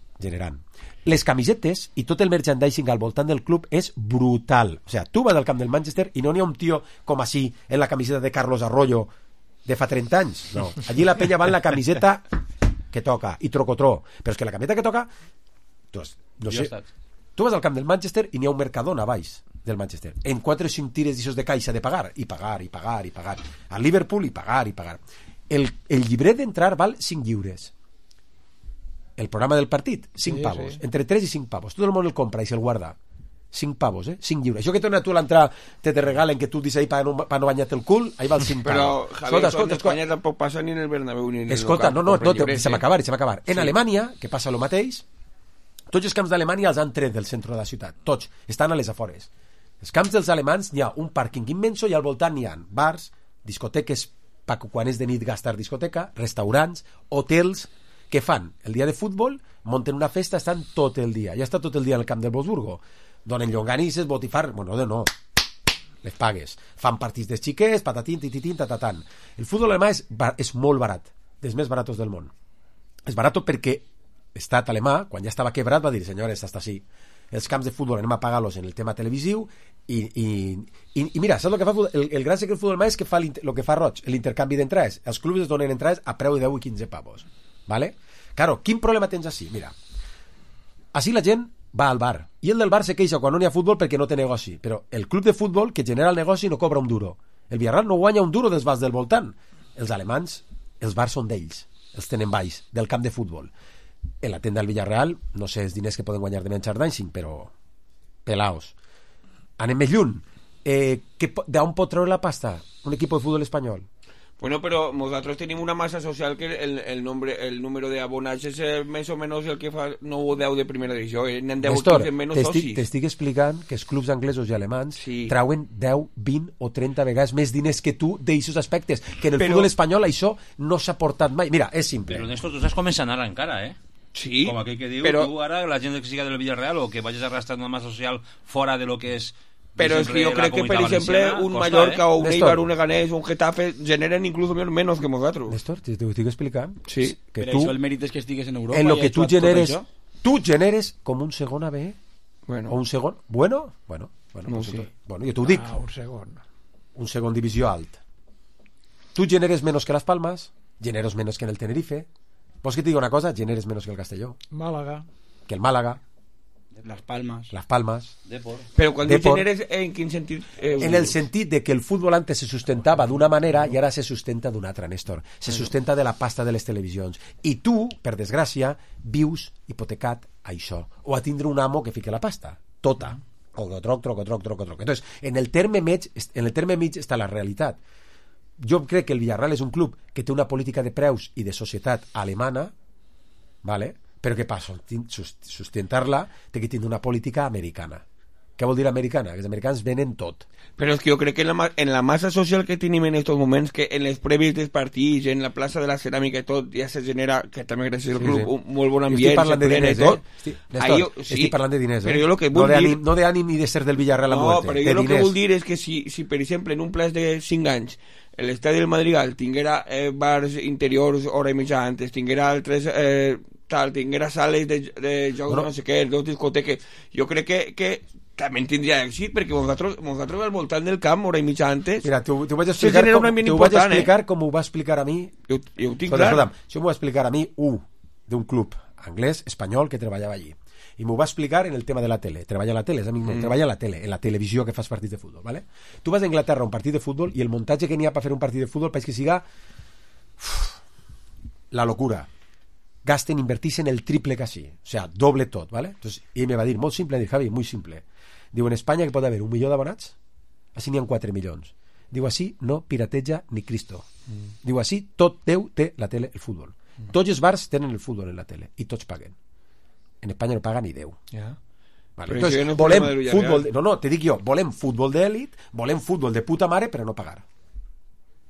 Les camisetes i tot el merchandising al voltant del club és brutal. O sigui, tu vas al camp del Manchester i no n'hi ha un tio com així en la camiseta de Carlos Arroyo de fa 30 anys. No. Allí la penya va en la camiseta que toca i trocotró. Però és que la camiseta que toca... Tu vas al camp del Manchester i n'hi ha un Mercadona a baix del Manchester. En 4 o 5 tires d'aixòs de caixa de pagar. I pagar. A Liverpool i pagar. El llibret d'entrar val 5 lliures. El programa del partit, 5 pavos. Sí. Entre 3 i 5 pavos. Tot el món el compra i se'l guarda. 5 pavos, 5 lliures. Això que torna tu a l'entrar, te regalen que tu dius ahí para no banyar-te el cul, ahí val 5 pavos. Però, Javier, en Espanya tampoc passa ni en el Bernabéu ni en el Escolta, no, deixa'm acabar. En Alemanya, que passa el mateix, tots els camps d'Alemanya els han tret del centre de la ciutat. Tots. Estan a les afores. Els camps dels alemans hi ha un pàrquing immenso i al voltant hi ha bars, discoteques, quan és de nit gastar discoteca, restaurants, hotels, que fan el dia de futbol, monten una festa, estan tot el dia. Ja està tot el dia al camp del Wolfsburgo. Donen llonganisses, botifar... Bueno, no. Les pagues. Fan partits de xiquets, patatín, tititín, tatatan. El futbol alemà és molt barat. Dels més baratos del món. És barat perquè l'estat alemà, quan ja estava quebrat, va dir, senyores, hasta així. Els camps de futbol anem a pagar-los en el tema televisiu i mira, saps el que fa el gran secret del futbol alemà és que fa el que fa Roig, l'intercanvi d'entrades. Els clubs es donen entrades a preu de 10 i 15 pavos. ¿Vale? Claro, quin problema tens així? Mira, així la gent va al bar i el del bar se queixa quan no n'hi ha futbol perquè no té negoci, però el club de futbol que genera el negoci no cobra un duro. El Villarreal no guanya un duro dels bars del voltant. Els alemanys, els bars són d'ells, els tenen baix del camp de futbol. En la tenda del Villarreal no sé els diners que poden guanyar de merchandising, però pelaos. Anem més lluny. D'on pot treure la pasta un equip de futbol espanyol? Bueno, però nosaltres tenim una massa social que el número d'abonats és més o menys el que fa 9 o 10 de primera divisió. N'han 10 o 15 menys socis. T'estic explicant que els clubs anglesos i alemans trauen 10, 20 o 30 vegades més diners que tu d'aixos aspectes, que en el futbol espanyol això no s'ha portat mai. Mira, és simple. Però Néstor, tu saps començant ara encara, Sí. Com aquell que diu, tu ara, la gent que siga del Villarreal o que vagis arrastrant una massa social fora de lo que és... Pero es que yo creo que, por ejemplo, un Mallorca o un Eibar, un Leganés o un Getafe generan incluso menos que nosotros. Néstor, te ho estic explicant. Sí. Que però això el mèrit és que estigues en Europa. En lo que tu generes com un segon AB o un segon... Bueno, no sé. Bueno, jo t'ho dic. Un segon divisió alt. Tu generes menos que Las Palmas, generes menos que en el Tenerife. Vols que te diga una cosa? Generes menos que el Castelló. Málaga. Que el Málaga. Las Palmas. Depor. Pero cuando generes, ¿en qué sentido? En el sentit de que el futbol antes se sustentava d'una manera i ara se sustenta d'una altra, Néstor. Se sustenta de la pasta de les televisions. I tu, per desgràcia, vius hipotecat a això. O a tindre un amo que fique la pasta. Tota. Troc. Entonces, en el terme mig està la realitat. Jo crec que el Villarreal és un club que té una política de preus i de societat alemana, ¿vale? Però què passa? Sustentar-la té que tindre una política americana. Què vol dir americana? Que els americans venen tot. Però és que jo crec que en la massa social que tenim en aquests moments, que en les prèvies dels partits, en la plaça de la ceràmica i tot, ja se genera, que també gràcies al club, un molt bon ambient. Estic parlant de diners, estic parlant de diners, però jo lo que vull dir... No d'ànim ni de ser del Villarreal a muerte. No, però jo el que vull dir és que si per exemple, en un plaç de 5 anys, l'estadi del Madrigal tinguera bars interiors hora i mitja antes, tinguera altres... tinguera sales de jocs, no sé què, dos discoteques, jo crec que també tindria èxit, perquè nosaltres al voltant del camp, hora i mitja antes... Mira, t'ho vaig explicar com ho va explicar a mi... Jo ho tinc clar. Això m'ho va explicar a mi d'un club anglès, espanyol, que treballava allí. I m'ho va explicar en el tema de la tele. Treballa a la tele, és amic meu, treballa a la tele, en la televisió que fas partits de futbol, ¿vale? Tu vas a Inglaterra a un partit de futbol i el muntatge que n'hi ha per fer un partit de futbol pareix que siga la locura. Gasten, invertixen el triple casi, o sea, doble tot, ¿vale? Entonces, ell me va dir, molt simple, dir, Javi, muy simple. Diu, en Espanya que pot haver 1 milió d'abonats, així n'hi ha 4 milions. Diu, així no pirateja ni Cristo. Diu, així tot Déu té la tele, el futbol. Tots els bars tenen el futbol en la tele i tots paguen. En Espanya no paga ni Déu. Vale. Entonces, volem futbol... No, te dic jo, volem futbol d'èlit, volem futbol de puta mare, però no pagar.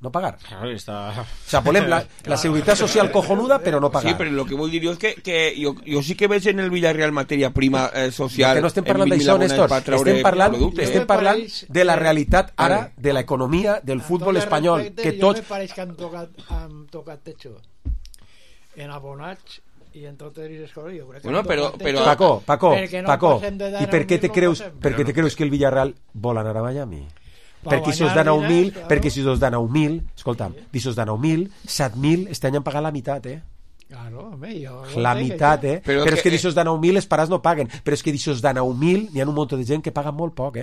no pagar. Claro, está... O sea, volem la seguridad social cojonuda, pero no pagar. Sí, pero lo que vull dir jo és que jo sí que veig en el Villarreal matèria prima social. Que no estem parlant d'això, Néstor. Estem parlant de la realitat ara, de l'economia del futbol espanyol. Que tots... Jo me pareix que han tocat techo en abonats i en totes les coses. Jo crec que Paco, i per què te creus que el Villarreal vol anar a Miami? Perquè si us dan 9.000, escolta'm, si us dan 9.000, 7.000, este any han pagat la meitat, Claro, home, la meitat, Però és que d'aixòs de 9.000 els pares no paguen. Però és que d'aixòs de 9.000 n'hi ha un munt de gent que paguen molt poc,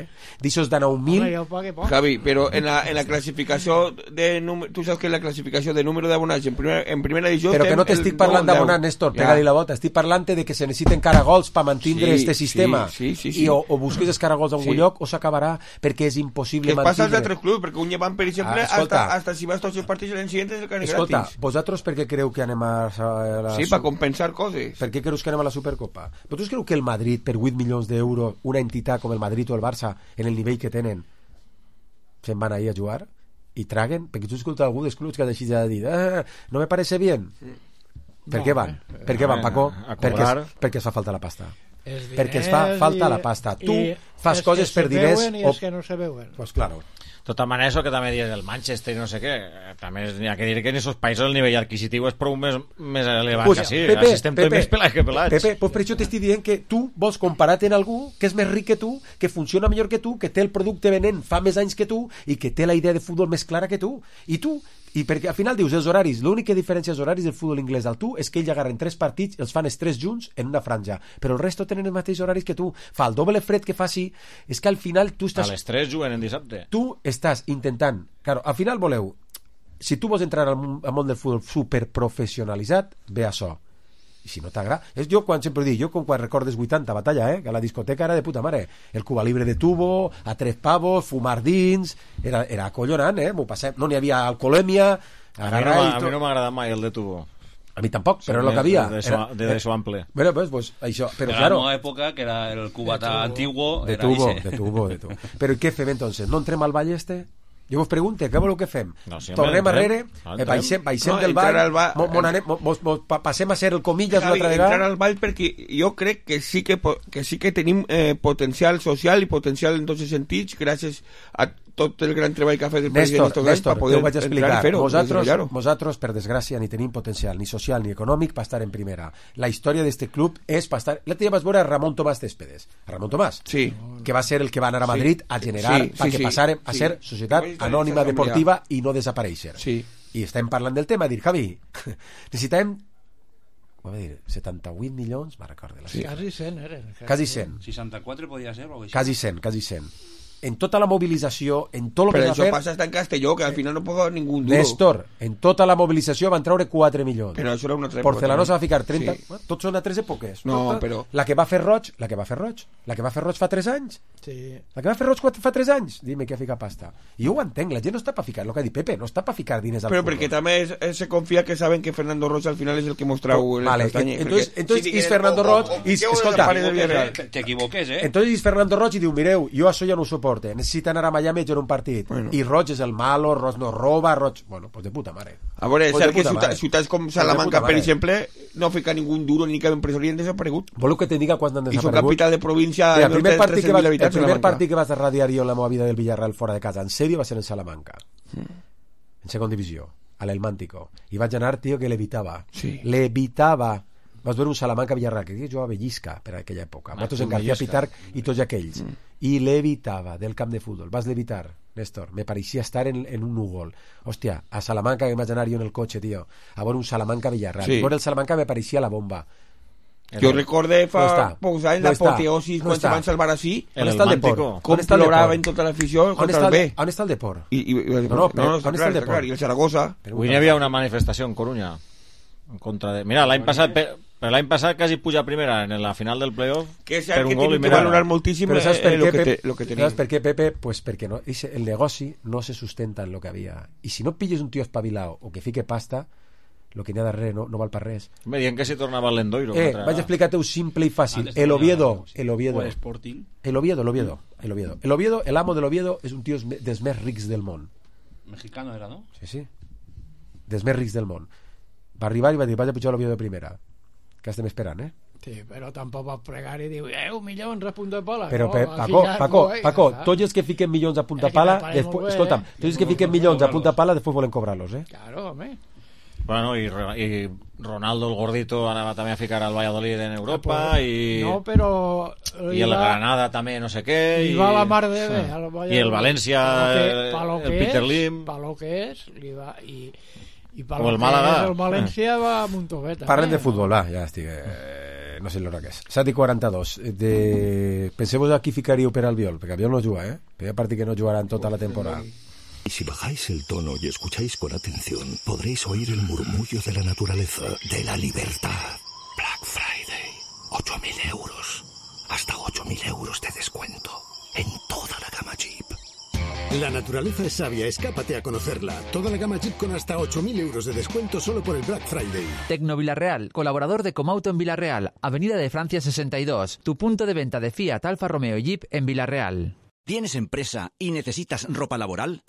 D'aixòs de 9.000... Javi, però en la classificació tu saps que en la classificació de número d'abonats en primera divisió... Però que no t'estic parlant d'abonats, Néstor, pega-li la bota. Estic parlant de que se necessiten caragols per mantindre este sistema. I o busques els caragols a un lloc o s'acabarà, perquè és impossible mantindre... Què passa als altres clubs? Perquè un llevant, per exemple, hasta si vas tots els partits l'any següent és el que anem gratis. Escolta, vosaltres per què creu que anem a... Sí, per compensar coses. Per què creus que anem a la Supercopa? Vosaltres creu que el Madrid, per 8 milions d'euros, una entitat com el Madrid o el Barça, en el nivell que tenen, se'n van ahir a jugar i traguen? Perquè tu escoltes algú dels clubs que ha deixat de dir no me parece bien. Per què van? Per què van, Paco? Perquè es fa falta la pasta. Perquè es fa falta la pasta. Tu fas coses per diners... I els que no se veuen. Pues claro. De tota manera, això que també dius del Manchester i no sé què, també n'hi ha que dir que en aquests països el nivell adquisitiu és prou més elevat que sí. Pepe, estem tots més pelats que pelats. Pepe, pues per això t'estic dient que tu vols comparar-te amb algú que és més ric que tu, que funciona millor que tu, que té el producte venent fa més anys que tu i que té la idea de futbol més clara que tu. I perquè al final dius els horaris, l'única diferència dels horaris del futbol inglès al tu és que ells agarren 3 partits, els fan els 3 junts en una franja, però el resto tenen els mateixos horaris que tu. Fa el doble fred que faci, és que al final tu estàs... A les 3 juguen en dissabte. Tu estàs intentant... Claro, al final voleu... Si tu vols entrar al món del futbol superprofessionalitzat, ve això. I si no t'agrada... És jo quan sempre dic, jo quan recordes 80 batalla, que a la discoteca era de puta mare. El Cuba Libre de tubo, a 3 pavos, fumar dins... Era acollonant, m'ho passem. No n'hi havia alcoholèmia... A mi no m'agrada mai el de tubo. A mi tampoc, però és el que havia. De eso ample. Bueno, pues això... Però claro... En la època, que era el cubata antiguo... De tubo. Però què fem, entonces? No entrem al ball este? Jo vos pregunte, què voleu que fem? No, si tornem arrere, baixem del ball, passem a ser el comillas una altra vegada. Entrar al ball perquè jo crec que sí que tenim potencial social i potencial en tots els sentits gràcies a tot el gran treball que ha fet el president Néstor, te ho vaig explicar. Vosaltres, per desgràcia, ni tenim potencial ni social ni econòmic per estar en primera. La història d'este club és per estar... L'altre dia vas veure a Ramon Tomàs Céspedes. A Ramon Tomàs, que va ser el que va anar a Madrid a generar, perquè passarem a ser societat anònima deportiva i no desaparèixer. I estem parlant del tema, dir, Javi, necessitem 78 milions, me'n recordo. Quasi 100 eren. Quasi 100. 64 podia ser o així. Quasi 100. En tota la mobilització, en tot el que va fer... Però això passa hasta en Castelló, que al final no paga ningú duro. Néstor, en tota la mobilització van treure 4 milions. Però això era una altra època. Porcelanosa va ficar 30... Sí. Tots són a 3 èpoques. No, però... La que va fer Roig fa 3 anys. Sí. La que va fer Roig fa 3 anys. Dime que fica pasta. I jo ho entenc, la gent no està per ficar, el que ha dit Pepe, no està per ficar diners al futbol. Però perquè també se confia que saben que Fernando Roig al final és el que mostrau el castany. Entonces és Fernando Roig i escolta, t'equivoques, entonces és Fernando Roig i diu, mireu, jo això ja no ho soporte, necessita anar a Miami a jugar un partit. I Roig és el malo, Roig no roba, Roig... Bueno, pues de puta mare. A veure, és cert que ciutats com Salamanca, per exemple, no fica ningú duro ni cap empresari han desaparegut. Voleu que te diga quan han desaparegut? I són capital de província... El primer partit que vas radiar jo en la meva vida del Villarreal fora de casa, en sèrio, va ser en Salamanca. En segona divisió, a l'Elmántico. I vaig anar, tio, que l'evitava. L'evitava. Vas veure un Salamanca-Villarreal, que jugava Bellisca per aquella època. Nosaltres en García Pitarch i tots aquells. I l'evitava del camp de futbol. Vas l'evitar, Néstor. Me pareixia estar en un núvol. Hòstia, a Salamanca que vaig anar jo en el cotxe, tio. A veure un Salamanca-Villarreal. A veure el Salamanca me pareixia la bomba. Jo recorde fa pocs anys l'apoteosi quan se van salvar així. On està el Deport? Com plorava en tota l'afició contra el B. On està el Deport? No, està clar, i el Zaragoza. Avui hi havia una manifestació en Coruña en contra de... Mira, l'any passat quasi puja a primera en la final del playoff per un gol i que valorar moltíssim lo que tenim. ¿Sabes per què, Pepe? Pues perquè no, el negoci no se sustenta en lo que havia. I si no pilles un tio espavilado o que fique pasta, lo que n'hi ha darrere no val per res. Me diuen que si tornava al Lendoiro. Vaig explicar-te-ho simple i fàcil. El Oviedo, el amo de l'Oviedo és un tio dels més rics del món. Mexicano era, no? Sí. Dels més rics del món. Va arribar i va dir, vaig a pujar l'Oviedo de primera. Que estem esperant, Sí, però tampoc va pregar i diu, milions a punta de pala. Però, Paco, tots els que fiquen milions a punta pala, escolta'm, tots els que fiquen milions a punta pala, després volen cobrar-los, Claro, home. Bueno, y Ronaldo el gordito ahora va también a ficar al Valladolid en Europa y el Granada también no sé qué y va la mar de bé y el Valencia el Peter Lim para lo que es y para o el Málaga el Valencia va a Montovet. Parlem de futbol, ja estic no sé l'hora que és 7:42 penseu-vos a qui ficaríeu per Albiol, perquè Albiol no juga, però hi ha partit que no jugaran tota la temporada. Y si bajáis el tono y escucháis con atención, podréis oír el murmullo de la naturaleza, de la libertad. Black Friday, 8.000 euros. Hasta 8.000 euros de descuento en toda la gama Jeep. La naturaleza es sabia, escápate a conocerla. Toda la gama Jeep con hasta 8.000 euros de descuento solo por el Black Friday. Tecno Villarreal, colaborador de Comauto en Villarreal, Avenida de Francia 62, tu punto de venta de Fiat, Alfa Romeo y Jeep en Villarreal. ¿Tienes empresa y necesitas ropa laboral?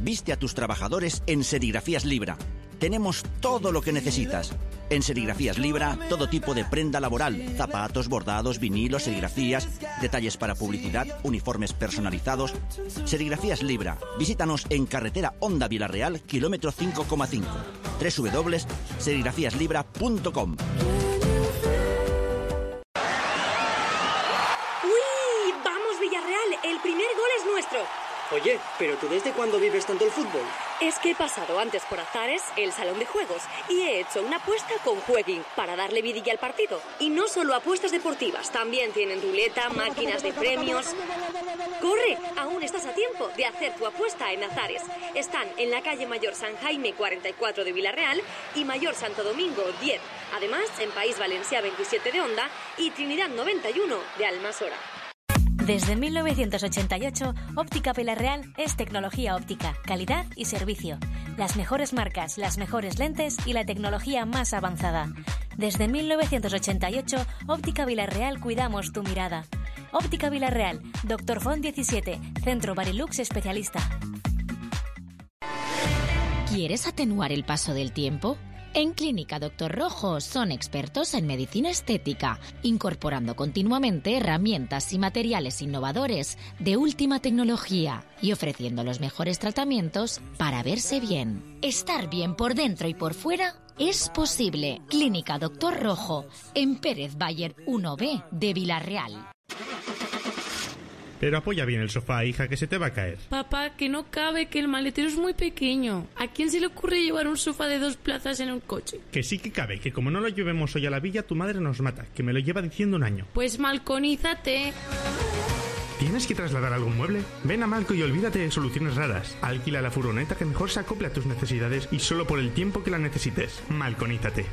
Viste a tus trabajadores en Serigrafías Libra. Tenemos todo lo que necesitas. En Serigrafías Libra, todo tipo de prenda laboral, zapatos, bordados, vinilos, serigrafías, detalles para publicidad, uniformes personalizados. Serigrafías Libra. Visítanos en carretera Honda Villarreal, kilómetro 5,5. www.serigrafiaslibra.com. ¡Uy! ¡Vamos, Villarreal! El primer gol es nuestro. Oye, ¿pero tú desde cuándo vives tanto el fútbol? Es que he pasado antes por Azares, el salón de juegos, y he hecho una apuesta con Jueguin para darle vidilla al partido. Y no solo apuestas deportivas, también tienen ruleta, máquinas de premios. ¡Corre! Aún estás a tiempo de hacer tu apuesta en Azares. Están en la calle Mayor San Jaime 44 de Villarreal y Mayor Santo Domingo 10. Además, en País Valencia 27 de Onda y Trinidad 91 de Almasora. Desde 1988, Óptica Villarreal es tecnología óptica, calidad y servicio. Las mejores marcas, las mejores lentes y la tecnología más avanzada. Desde 1988, Óptica Villarreal cuidamos tu mirada. Óptica Villarreal, Dr. Font 17, Centro Barilux especialista. ¿Quieres atenuar el paso del tiempo? En Clínica Dr. Rojo son expertos en medicina estética, incorporando continuamente herramientas y materiales innovadores de última tecnología y ofreciendo los mejores tratamientos para verse bien. Estar bien por dentro y por fuera es posible. Clínica Dr. Rojo, en Pérez Bayer 1B de Villarreal. Pero apoya bien el sofá, hija, que se te va a caer. Papá, que no cabe, que el maletero es muy pequeño. ¿A quién se le ocurre llevar un sofá de 2 plazas en un coche? Que sí que cabe, que como no lo llevemos hoy a la villa, tu madre nos mata, que me lo lleva diciendo un año. Pues malconízate. ¿Tienes que trasladar algún mueble? Ven a Malco y olvídate de soluciones raras. Alquila la furgoneta que mejor se acople a tus necesidades y solo por el tiempo que la necesites. Malconízate.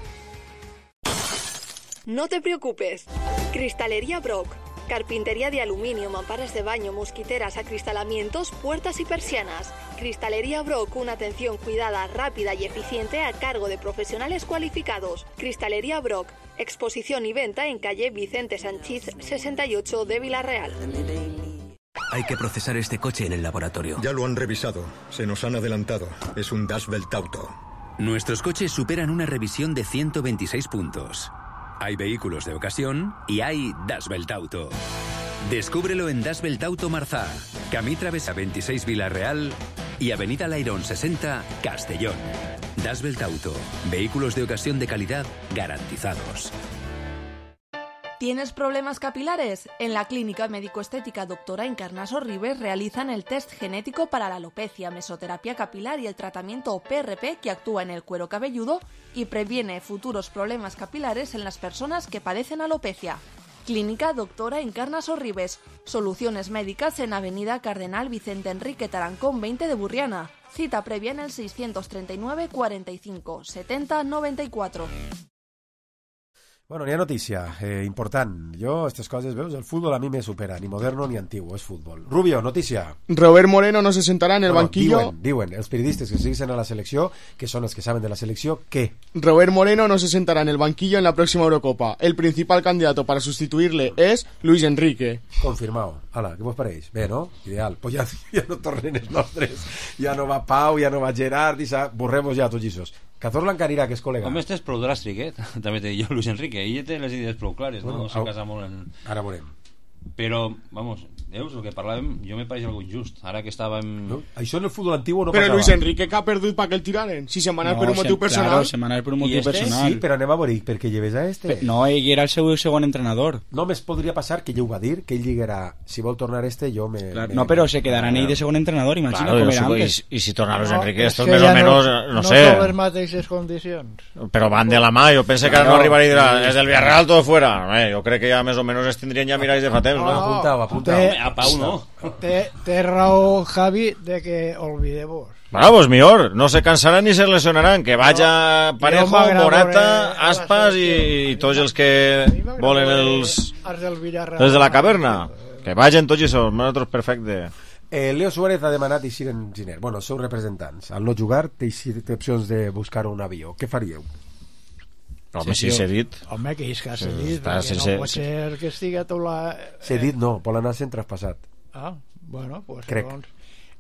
No te preocupes. Cristalería Brock. Carpintería de aluminio, mamparas de baño, mosquiteras, acristalamientos, puertas y persianas. Cristalería Brock, una atención cuidada, rápida y eficiente a cargo de profesionales cualificados. Cristalería Brock, exposición y venta en calle Vicente Sanchís 68 de Villarreal. Hay que procesar este coche en el laboratorio. Ya lo han revisado, se nos han adelantado. Es un Das Welt Auto. Nuestros coches superan una revisión de 126 puntos. Hay vehículos de ocasión y hay Das Welt Auto. Descúbrelo en Das Welt Auto Marzá, Camí Travesa 26 Villarreal y Avenida Lairón 60 Castellón. Das Welt Auto, vehículos de ocasión de calidad garantizados. ¿Tienes problemas capilares? En la Clínica Médico-Estética Doctora Encarnaso Ribes realizan el test genético para la alopecia, mesoterapia capilar y el tratamiento PRP que actúa en el cuero cabelludo y previene futuros problemas capilares en las personas que padecen alopecia. Clínica Doctora Encarnaso Ribes. Soluciones médicas en Avenida Cardenal Vicente Enrique Tarancón 20 de Burriana. Cita previa en el 639 45 70 94. Bueno, n'hi ha notícia important. Jo, estas coses, veus, el fútbol a mi me supera, ni moderno ni antiguo, és fútbol. Rubio, notícia. Robert Moreno no se sentará en el banquillo. Diuen, els periodistes que segueixen a la selecció, que són els que saben de la selecció, ¿qué? Robert Moreno no se sentará en el banquillo en la próxima Eurocopa. El principal candidato para sustituirle es Luis Enrique. Confirmado. Ala, què vos pareix? Bé, no? Ideal. Pues ja no tornen els nostres. Ja no va Pau, ja no va Gerard, borremos ja tots aquests. Cazorla encara irà, que és col·lega. Home, este és prou dràstic, també t'he dit jo, Luis Enrique. Ell té les idees prou clares, no se casa molt en... Ara veurem. Però, vamos, veus, el que parlàvem, jo me pareix algo injust. Ara que estàvem... No? Això en el futbol antiguo no però passava. Però Luis Enrique, que ha perdut per que el tiraren? Si se'n va anar per un motiu personal. Claro, se'n va anar per un motiu personal. Sí, però anem a veure, perquè lleves a este. No, ell era el seu segon entrenador. Només podria passar, que ell ho va dir, que ell diguera, si vol tornar este, jo me... Claro, no, però se quedaran ell de segon entrenador, imagina com era antes. I si torna Luis Enrique, esto més o menos, no sé... No són les mateixes condicions. Però van de la mà, jo pense que ara no arribarà i dirà, és del Villarreal todo fuera. Jo crec que ja més o menos es tindrien ja miralls de fa temps, no? Apuntau. A Pau no. Té raó Javi de que olvidemos. Bueno, pues millor, no se cansarán ni se lesionarán, que vaya Parejo, Morata, Aspas i tots els que volen els de la caverna, que vagin tots i són, nosaltres perfecte. Leo Suárez ha demanat eixir en Giner. Bueno, els seus representants, al no jugar té opcions de buscar un avió. Què faríeu? Home, sí, cedit. Home, que és que ha cedit, no pot ser que estigui a tot la... Cedit no, vol anar sent traspassat. Bueno, pues doncs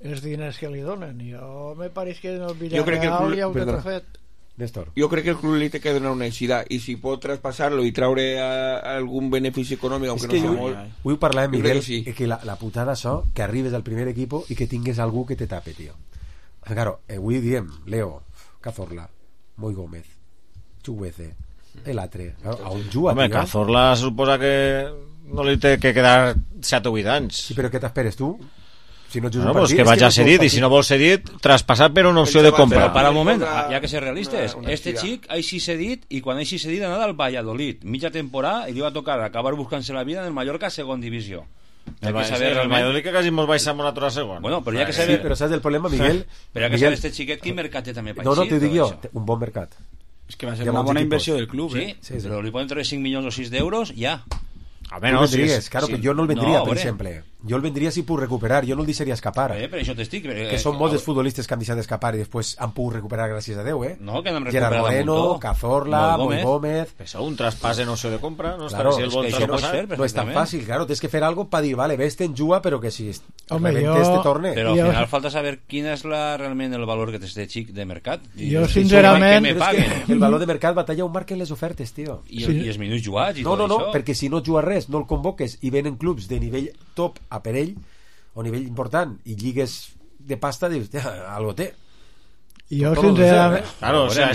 els diners que li donen. Jo me pareix que en el Villarreal ja ho té fet. Néstor. Jo crec que el club li té que donar una eixida i si pot traspassar-lo i traure algun benefici econòmic, aunque no sigui molt... Avui parlàvem, Miguel, que la putada això, que arribes al primer equipo i que tingues algú que te tape, tio. Claro, avui diem Leo, Cazorla, Moi Gómez, Chuguece, el altre. A on juga, home, tio? Cazorla suposa que no li té que quedar 7 o 8 anys. Sí, però què t'esperes tu? Si no bueno, pues que vaya cedit, i si no vol cedit, traspasar per una opció de compra. Però para un moment, ja que ser realistes, este xic així cedit, i quan així cedit ha anat al Valladolid, mitja temporada, i li va tocar acabar buscant-se la vida en el Mallorca segon divisió. El Valladolid que quasi mos baixem a l'altre segon. Bueno, però ja que saber... Sí, però saps el problema, Miguel? Però ja que saber este xiquet, quin mercat té també per No, t'ho dic jo, un bon mercat. És que va ser una bona inversió del club, sí, però li poden treure 5 milions o 6 d'euros, ja. A ver, no, vendries, claro, que jo no el vendria, per exemple. Jo el vendria si puc recuperar, jo no el deixaria escapar. Però això t'estic... Que són molts futbolistes que han deixat d'escapar i després han pogut recuperar gràcies a Déu, No, que n'han Gerard Moreno, Cazorla, Moi Gómez... Però un traspàs en opció de compra, no claro, està si el vol traspasar. No és tan fàcil, claro, tens que fer algo per dir, vale, ves-te en juga, però que si rebentes te torne. Però al final falta saber quin és realment el valor que té este xic de mercat. Jo, sincerament... El valor de mercat batalla ho marquen les ofertes, tio. I els minuts jugats i tot això. No, perquè si no juga res, no el convoques i venen clubs de nivell top a per ell o nivell important i lligues de pasta, dius, algo té. Jo sincerament... Claro, o sea,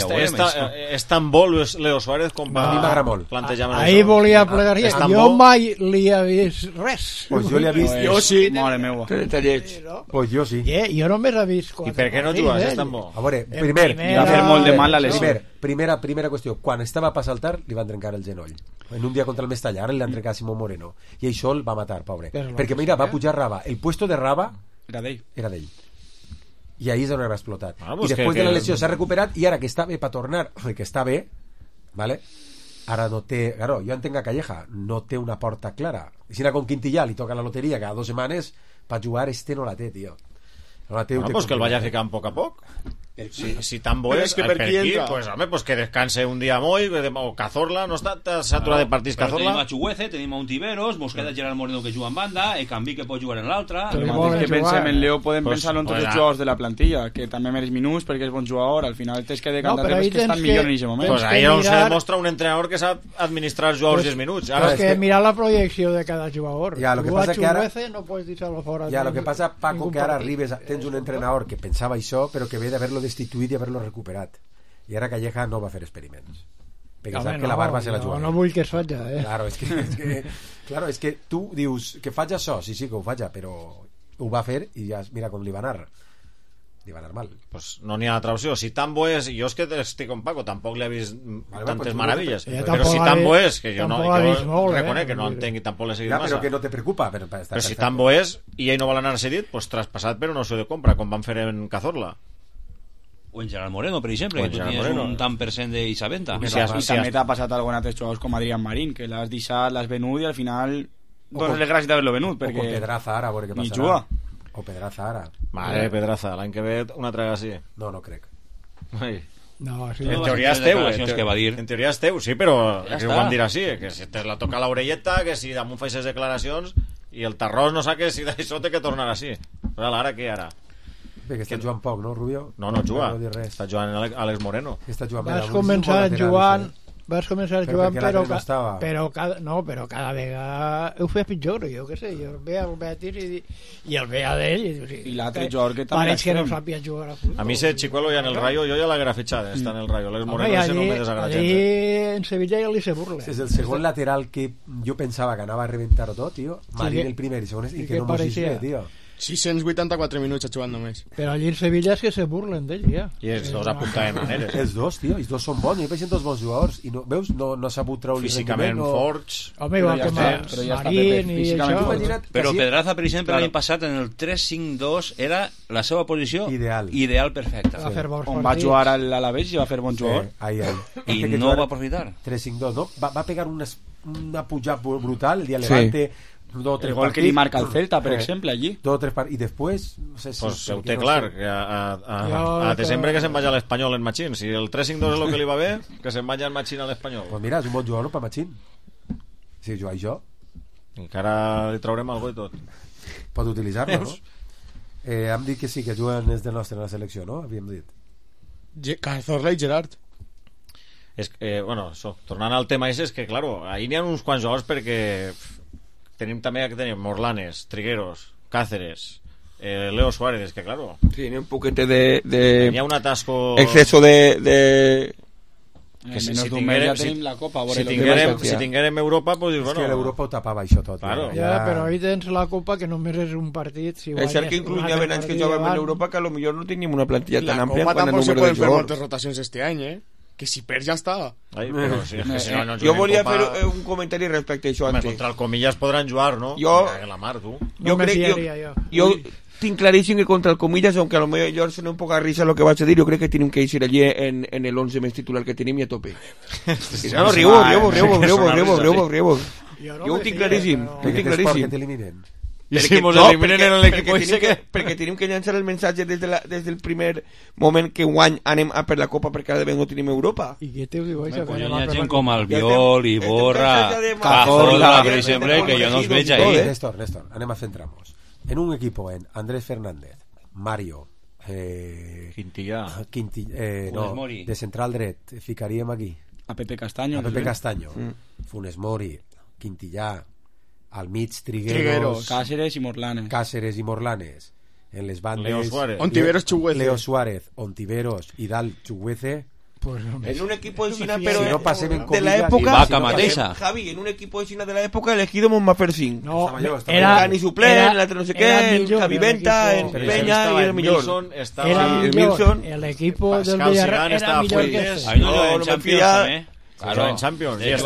és tan bo Leo Suárez com a mi m'agrada molt. Ahí volia plegar. Jo mai li he vist res. Pues jo li he vist... Jo sí. Mare meua. Pues jo sí. Jo només he vist... I per què no jugues? És tan bo. A veure, primer... Va fer molt de mal la lesió. Primera qüestió. Quan estava per saltar, li van trencar el genoll. En un dia contra el Mestalla, ara li han trencat Simón Moreno. I això el va matar, pobre. Perquè mira, va pujar Raba. El puesto de Raba era d'ell. I ahí és on va explotar. I després de la lesió s'ha recuperat i ara que està bé per tornar, que està bé, ¿vale? Ara no té... Claro, jo entenc a Calleja, no té una porta clara. Si era con Quintillà, li toca la loteria cada 2 setmanes, per jugar no la té, tio. No la té. Bueno, pues que el vaya ficant poc a poc. Si tan bo és, per aquí, pues, home, pues que descanse un dia Moi o Cazorla, no està saturat de partits Cazorla. Tenim a Chuguece, tenim a Untiveros, mos queda Gerard Moreno que juga en banda, Canvi que pot jugar en l'altra. El mateix que pensem en Leo podem pensar en tots els jugadors de la plantilla, que també mereix minuts perquè és bon jugador, al final tens que decantar que estan millor en aquest moment. Pues ahí on se demostra un entrenador que sap administrar els jugadors 10 minuts. Però és que mirar la projecció de cada jugador. Ja, lo que passa que ara... no pots deixar-lo fora. Ja, lo que passa, Paco, que ara arribes, tens un entrenador que pensava això, però que ve d'haver-lo destituït i haver-lo recuperat. I ara Calleja no va fer experiments. Perquè sap que la barba se la juga. No vull que es faci, Claro, és que tu dius que faig això, sí, que ho faig, però ho va fer i ja mira com li va anar. Li va anar mal. Pues no n'hi ha altra opció. Si tan bo és, jo és que estic con Paco, tampoc li he vist tantes meravelles. Però si tan bo és, que jo reconec que no entenc i tampoc l'he seguit massa. Però que no te preocupa. Però si tan bo és i ell no vol anar cedit, pues traspassat per una opció de compra, com van fer en Cazorla. O en Gerard Moreno, per exemple, que tu tenies un tant per cent d'Isaventa. I també t'ha passat algun altre jugadors com Adrián Marín, que l'has deixat, l'has venut i al final dones les gràcies d'haver-lo venut, perquè... O con Pedraza ara, a veure què passarà. Ni juga. O Pedraza ara. Mare, Pedraza, l'any que ve una traga així. No crec. Ai. No, sí. En teoria és teu, que va dir. en teoria és teu, sí, però ja que ho van dir així, que si te la toca l'orelleta, que si damunt fa aquestes declaracions i el Tarrós no sap que si d'això té que tornar així. Però ara què, ara? Bé, que està jugant poc, no, Rubio? No juga, està jugant Àlex Moreno. Vas començar jugant però cada vegada ho fes pitjor, jo què sé, jo ve al Betis i el ve a d'ell i l'altre jugador que també pareix que no sàpia jugar a futbol. A mi ese Chicuelo ja en el Rayo jo ja l'haguera fitxat, està en el Rayo l'Àlex Moreno ese no me desagrada gens. Allí en Sevilla ja li se burla. És el segon lateral que jo pensava que anava a reventar-ho tot, tio. Marín el primer i segon i que no mos bé, tio. 684 minuts ha jugat només. Però allí en Sevilla és que se burlen d'ell, ja. I els dos a punta de maneres. Els dos, tio, els dos són bons. Jo penso en dos bons jugadors. I no, veus, no s'ha sabut treure físicament forts. Home, igual que Marín i això. Però Pedraza, per exemple, l'any passat en el 3-5-2 era la seva posició ideal perfecta. On va jugar a l'Alavés i va fer bon jugador. I no va aprofitar. 3-5-2, no? Va pegar una pujada brutal el dia Levante. El gol que li marca el Celta, per exemple, allí. I després no sé si pues ho té clar, que a desembre que se'n vagi a l'Espanyol en Machín. Si el 3-5-2 és el que li va bé, que se'n vagi en Machín a l'Espanyol. Pues mira, és un bon jugador per Machín. Si jugar jo encara li traurem algo i tot. Pot utilitzar-lo, no? Hem dit que sí, que juguen els del nostre en la selecció, no? Havíem dit Cazorla i Gerard. Bueno, tornant al tema és que, claro, ahí n'hi ha uns quants jugadors perquè tenim també que tenim Morlanes, Trigueros, Cáceres, Leo Suárez, que claro. Tiene un poquete de Tenía un atasco. Exceso de que si tinguérem la Copa, si tinguérem Europa, pues bueno. És que l'Europa ho tapava això tot. Claro. Ja, però ahí tens la Copa que només és un partit. Si és cert que inclús hi ha anys que jugàvem en Europa que a lo millor no teníem una plantilla tan àmplia quan el número de jugadors. La Copa tampoc se pueden fer moltes rotacions este any, que si perds ja està. Jo volia fer un comentari respecte a això antes. Contra el Comillas podran jugar, no? La mar, tu. Jo tinc claríssim que contra el Comillas, aunque a lo mejor suena un poco a risa lo que vas a decir, yo creo que tienen que ir allí en el 11 més titular que tenim i a tope. No, riego. Jo ho tinc claríssim. Que t'eliminen. Perquè tenim que llançar el mensatge des del primer moment que guany anem a per la Copa perquè ara no tenim Europa. I què te diu això? Hi ha gent com Albiol, Iborra, Cazorla, per exemple, que jo no els veig ahí. Néstor, anem a centrar-nos. En un equipo en Andrés Fernández, Mario, Quintillà, no, de central dret, ficaríem aquí a Pepe Castaño, Funes Mori, Quintillà, al mig Trigueros, Cáceres i Morlanes, en les bandes Leo Suárez, Ontiveros i Dalt Chuguece. Pues no, en un equipo de China, pero si no de la época, Javi, en un equipo de China de la época elegido Monmafersín. No, era ni suplente, no sé qué, en Javi Venta, en Peña y el millón. El equipo del Villarreal era millor que ese. No me fía. Claro, en Champions. Yo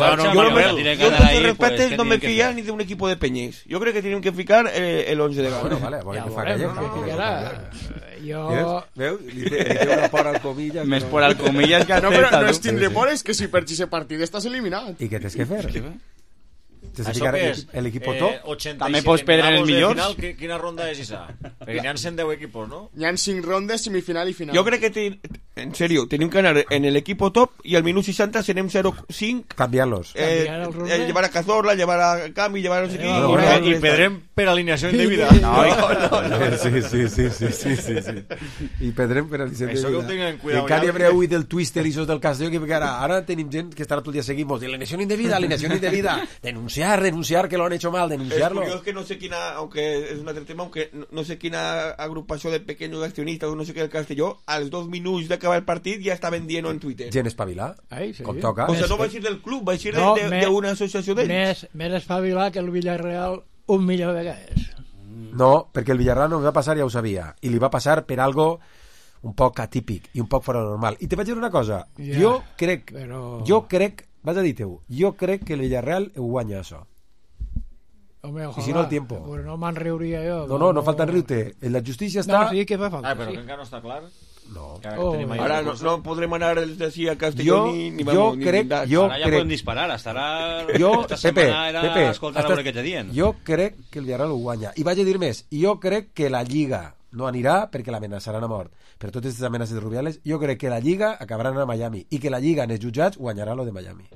respeto, no me fía ni de un equipo de Peñés. Yo creo que tienen que ficar el 11 de Gana. Veu? Li té una por al Comillas. Més por al Comillas que no, però no és tindre por, és que si perds ese partit estàs eliminat. I què tens que fer? El equipo top. També pots perdre el millor. Quina ronda és esa? Perquè n'hi ha 110 equipos, no? N'hi ha 5 rondes, semifinal i final. Jo crec que, en serio, tenim que anar en el equipo top i al minut 60 serem 0-5. Canviar-los. Llevar a Cazorla, llevar a Cami, llevar a no sé qui. I perdrem per alineació indebida. No. Sí. I perdrem per alineació indebida. Això que ho tinguin en cuidado. Encara hi haurà avui del Twister i sos del Castelló, que ara tenim gent que estarà tot el dia seguint-nos. Alineació indebida. Denunciar que lo han hecho mal, denunciarlo. Es curioso que no sé quién, aunque es un altre tema, aunque no sé quina agrupació de pequeños accionistas o no sé qué del Castelló, als 2 minuts d'acabar el partit ja està vendiendo en Twitter. Gent espavilar, com toca. O sea, no va a ir del club, va a ir d'una associació d'ells. Més espavilar que el Villarreal 1 milió de vegades. No, perquè el Villarreal no li va passar, ja ho sabia, i li va passar per algo un poc atípic i un poc fora normal. I te vaig dir una cosa, jo crec, vas a dir-te-ho, jo crec que el Villarreal ho guanya això. Home, y si no el tiempo. Pues no me'n riuria jo. No falta en riure. En la justícia està... No, sí que fa falta. Però que encara no està clar. No. Ara no podrem anar d'ací a Castelló ni ara ja podem disparar, esta setmana era escoltar a veure què te dient. Jo crec que el Villarreal ho guanya. I vaig a dir més, jo crec que la Lliga no anirà perquè l'amenaçaran a mort. Per totes aquestes amenaces de Rubiales, jo crec que la Lliga acabaran a Miami i que la Lliga en els jutjats guanyarà lo de Miami.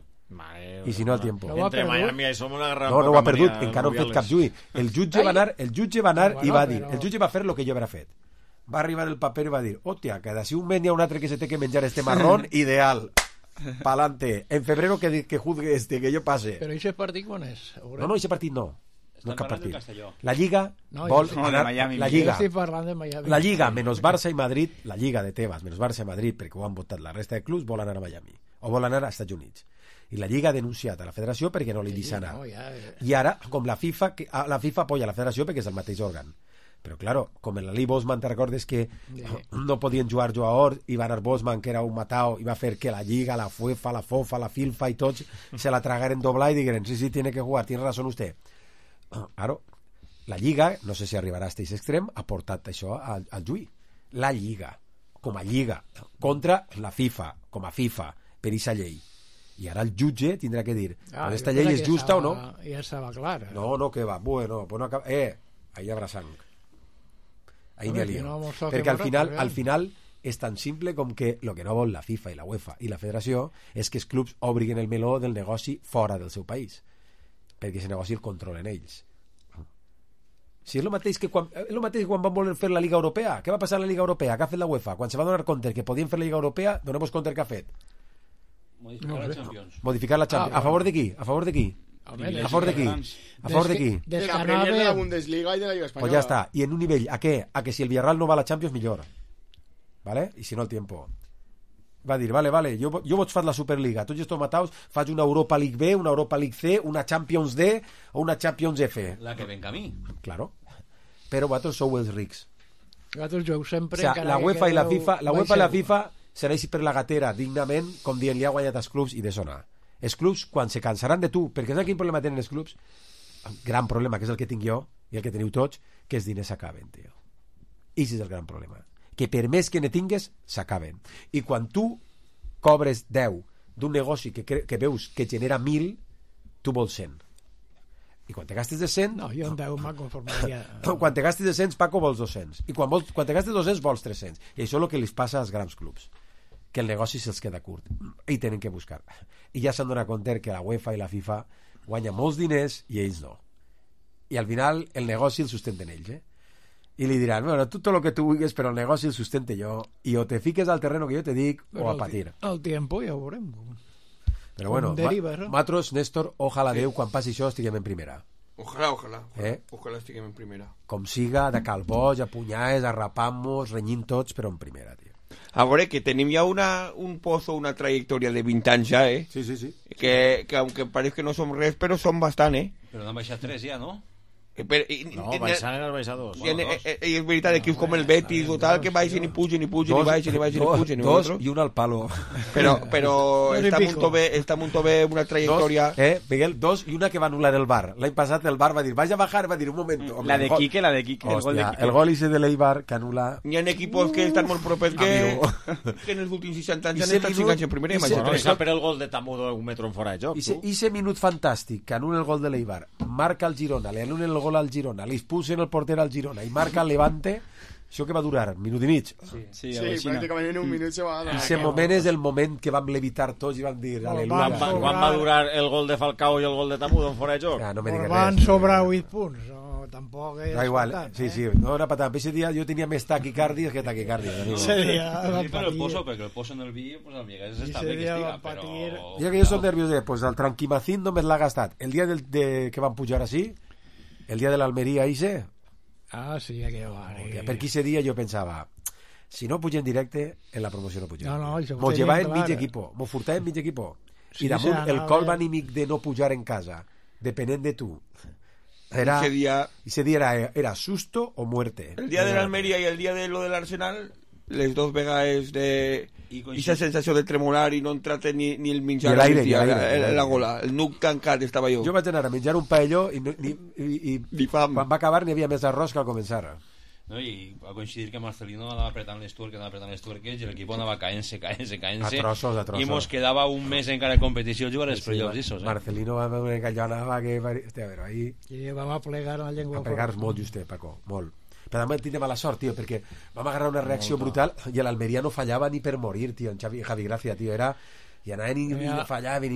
I si no el tiempo. Entre Miami i som una gran no ho ha perdut, encara no ha fet cap juí. El jutge va anar i va dir, el jutge va fer el que jo havia fet. Va arribar el paper i va dir, hòstia, que d'ací un mes hi ha un altre que se té que menjar este marrón, ideal, pa'lante, en febrero que juzgue que jo passe. Però aquest partit quan és? No, aquest partit no. No cap partit. La Lliga vol anar... La Lliga, menys Barça i Madrid, la Lliga de Tebas, menys Barça i Madrid, perquè ho han votat la resta de clubs, vol anar a Miami. O vol anar als Estats Units. I la Lliga ha denunciat a la federació perquè no li deixa anar. I ara, com la FIFA apoya la federació perquè és el mateix òrgan. Però, claro, com en la Lee Bosman, te recordes que no podien jugar jugadors i va anar Bosman, que era un matao, i va fer que la Lliga, la UEFA, la FOFA, la FIFA i tots se la tragaren doblar i digueren, sí, tiene que jugar, tiene razón usted. Claro, la Lliga, no sé si arribarà a aquest extrem, ha portat això al juí. La Lliga, com a Lliga, contra la FIFA, com a FIFA, per aquesta llei. I ara el jutge tindrà que dir, aquesta llei és justa o no? Ja estava clar. No, que va, bueno, pues no acaba... ahí habrá sang. Ahí me lío. Perquè al final és tan simple com que el que no vol la FIFA i la UEFA i la federació és que els clubs obriguin el meló del negoci fora del seu país, perquè aquest negoci el controlen ells. Si és el mateix que quan van voler fer la Liga Europea. Què va passar a la Liga Europea? Què ha fet la UEFA? Quan se va donar compte que podien fer la Liga Europea, donem-nos compte què ha fet. Modificar la Champions. Modificar la Champions. A favor de qui? A favor de qui? A favor de qui? A favor de qui? De la Premier, de la Bundesliga i de la Lliga Espanyola. Pues ja està. I en un nivell, a què? A que si el Villarreal no va a la Champions, millor. ¿Vale? I si no, el tiempo. Va dir, vale, jo vaig fer la Superliga. Tots estos mataus, faig una Europa League B, una Europa League C, una Champions D o una Champions F. La que ven camí. Claro. Però vosaltres sou els rics. Vosaltres jueu sempre... O sea, la UEFA i la FIFA sereix per la gatera dignament, com dient, li ha guanyat els clubs i de sonar. Els clubs, quan se cansaran de tu, perquè saps quin problema tenen els clubs? Un gran problema, que és el que tinc jo i el que teniu tots, que els diners s'acaben, tio. I és el gran problema. Que per més que ne tingues, s'acaben. I quan tu cobres 10 d'un negoci que veus que genera 1.000, tu vols 100. I quan te gastes de 100... No, jo en 10 me'n conformaria. Quan te gastes de 100, Paco, vols 200. I quan te gastes 200, vols 300. I això és el que li passa als grans clubs, que el negoci se'ls queda curt i tenen que buscar. I ja s'han donat compte que la UEFA i la FIFA guanyen molts diners i ells no. I al final el negoci el sustenten ells, I li diran, bueno, tu tot el que tu vulguis, però el negoci el sustente jo, i o te fiques al terreno que jo te dic o a patir. El tiempo ja ho veurem. Però bueno, nosaltres, Néstor, ojalà Déu, quan passi això estiguem en primera. Ojalà. Ojalà estiguem en primera. Com siga, de calboig, a punyades, a rapamos, renyint tots, però en primera, tio. A veure, que tenim ja un pozo, una trajectòria de 20 anys ja, Sí. Que aunque pareix que no som res, però som bastant, Però n'han baixat 3 ja, no? No, baixant en el baixar 2. I és veritat, equips com el Betis o tal, que baixin i pugen, i baixin i pugen. Dos i un al palo. Però està molt bé una trajectòria... Miguel, dos i una que va anul·lar el VAR. L'any passat el VAR va dir, vaig a bajar, va dir, un moment. La de Quique. Hòstia, el gol ese de l'Eibar que anul·la... Hi ha equipos que estan molt propers que en els últims 60 anys han estat 5 anys en primera. I per el gol de Tamudo un metro en fora de joc. I ese minut fantàstic que anul·la el gol de l'Eibar, marca el Girona, li anul·la el gol al Girona, li expulsen el porter al Girona i marca el Levante, això que va durar un minut i mig. Sí, pràcticament en un minut se va dar. Ese moment és el moment que vam levitar tots i vam dir aleluia. Quan va durar el gol de Falcao i el gol de Tamudo en fora de joc? No me digues res. Van sobrar 8 punts, no, tampoc és... Da igual, sí, no era patant. Ese dia jo tenia més taquicàrdies que taquicàrdies. Però el poso, perquè el poso en el vi, pues el Miguel està bé que estiga, però... Ja que jo soc nerviós, pues el Tranquimacín només l'ha gastat. El dia que van pujar així, el dia de l'Almeria ise... sí, que va. Per aquí ese dia jo pensava, si no pugen directe, en la promoció no pugen. Mos llevaven mig equipo, mos furtaven mig equipo. I damunt el colp anímic de no pujar en casa, depenent de tu. Ese dia era susto o muerte. El dia de l'Almeria i el dia de lo de l'Arsenal, les dos vegades de... I aquesta sensació de tremolar i no entrar ni el menjar la gola, el nuc tancat estava jo. Jo vaig anar a menjar un paelló i quan va acabar n'hi havia més arròs que al començar. No, i va coincidir que Marcelino anava apretant les tuerques i l'equip anava caent-se a trossos. i mos quedava un mes encara de competició jugar als playoffs. Marcelino va veure que allò anava que... Hòstia, a veure, ahí... I vam a plegar la llengua. A plegar molt, justet, Paco, molt. Però també tindre mala sort, tio, perquè vam agarrar una reacció brutal i l'Almeria no fallava ni per morir, tio, en Javi Gracia, tio, era... I anaven i no fallaven.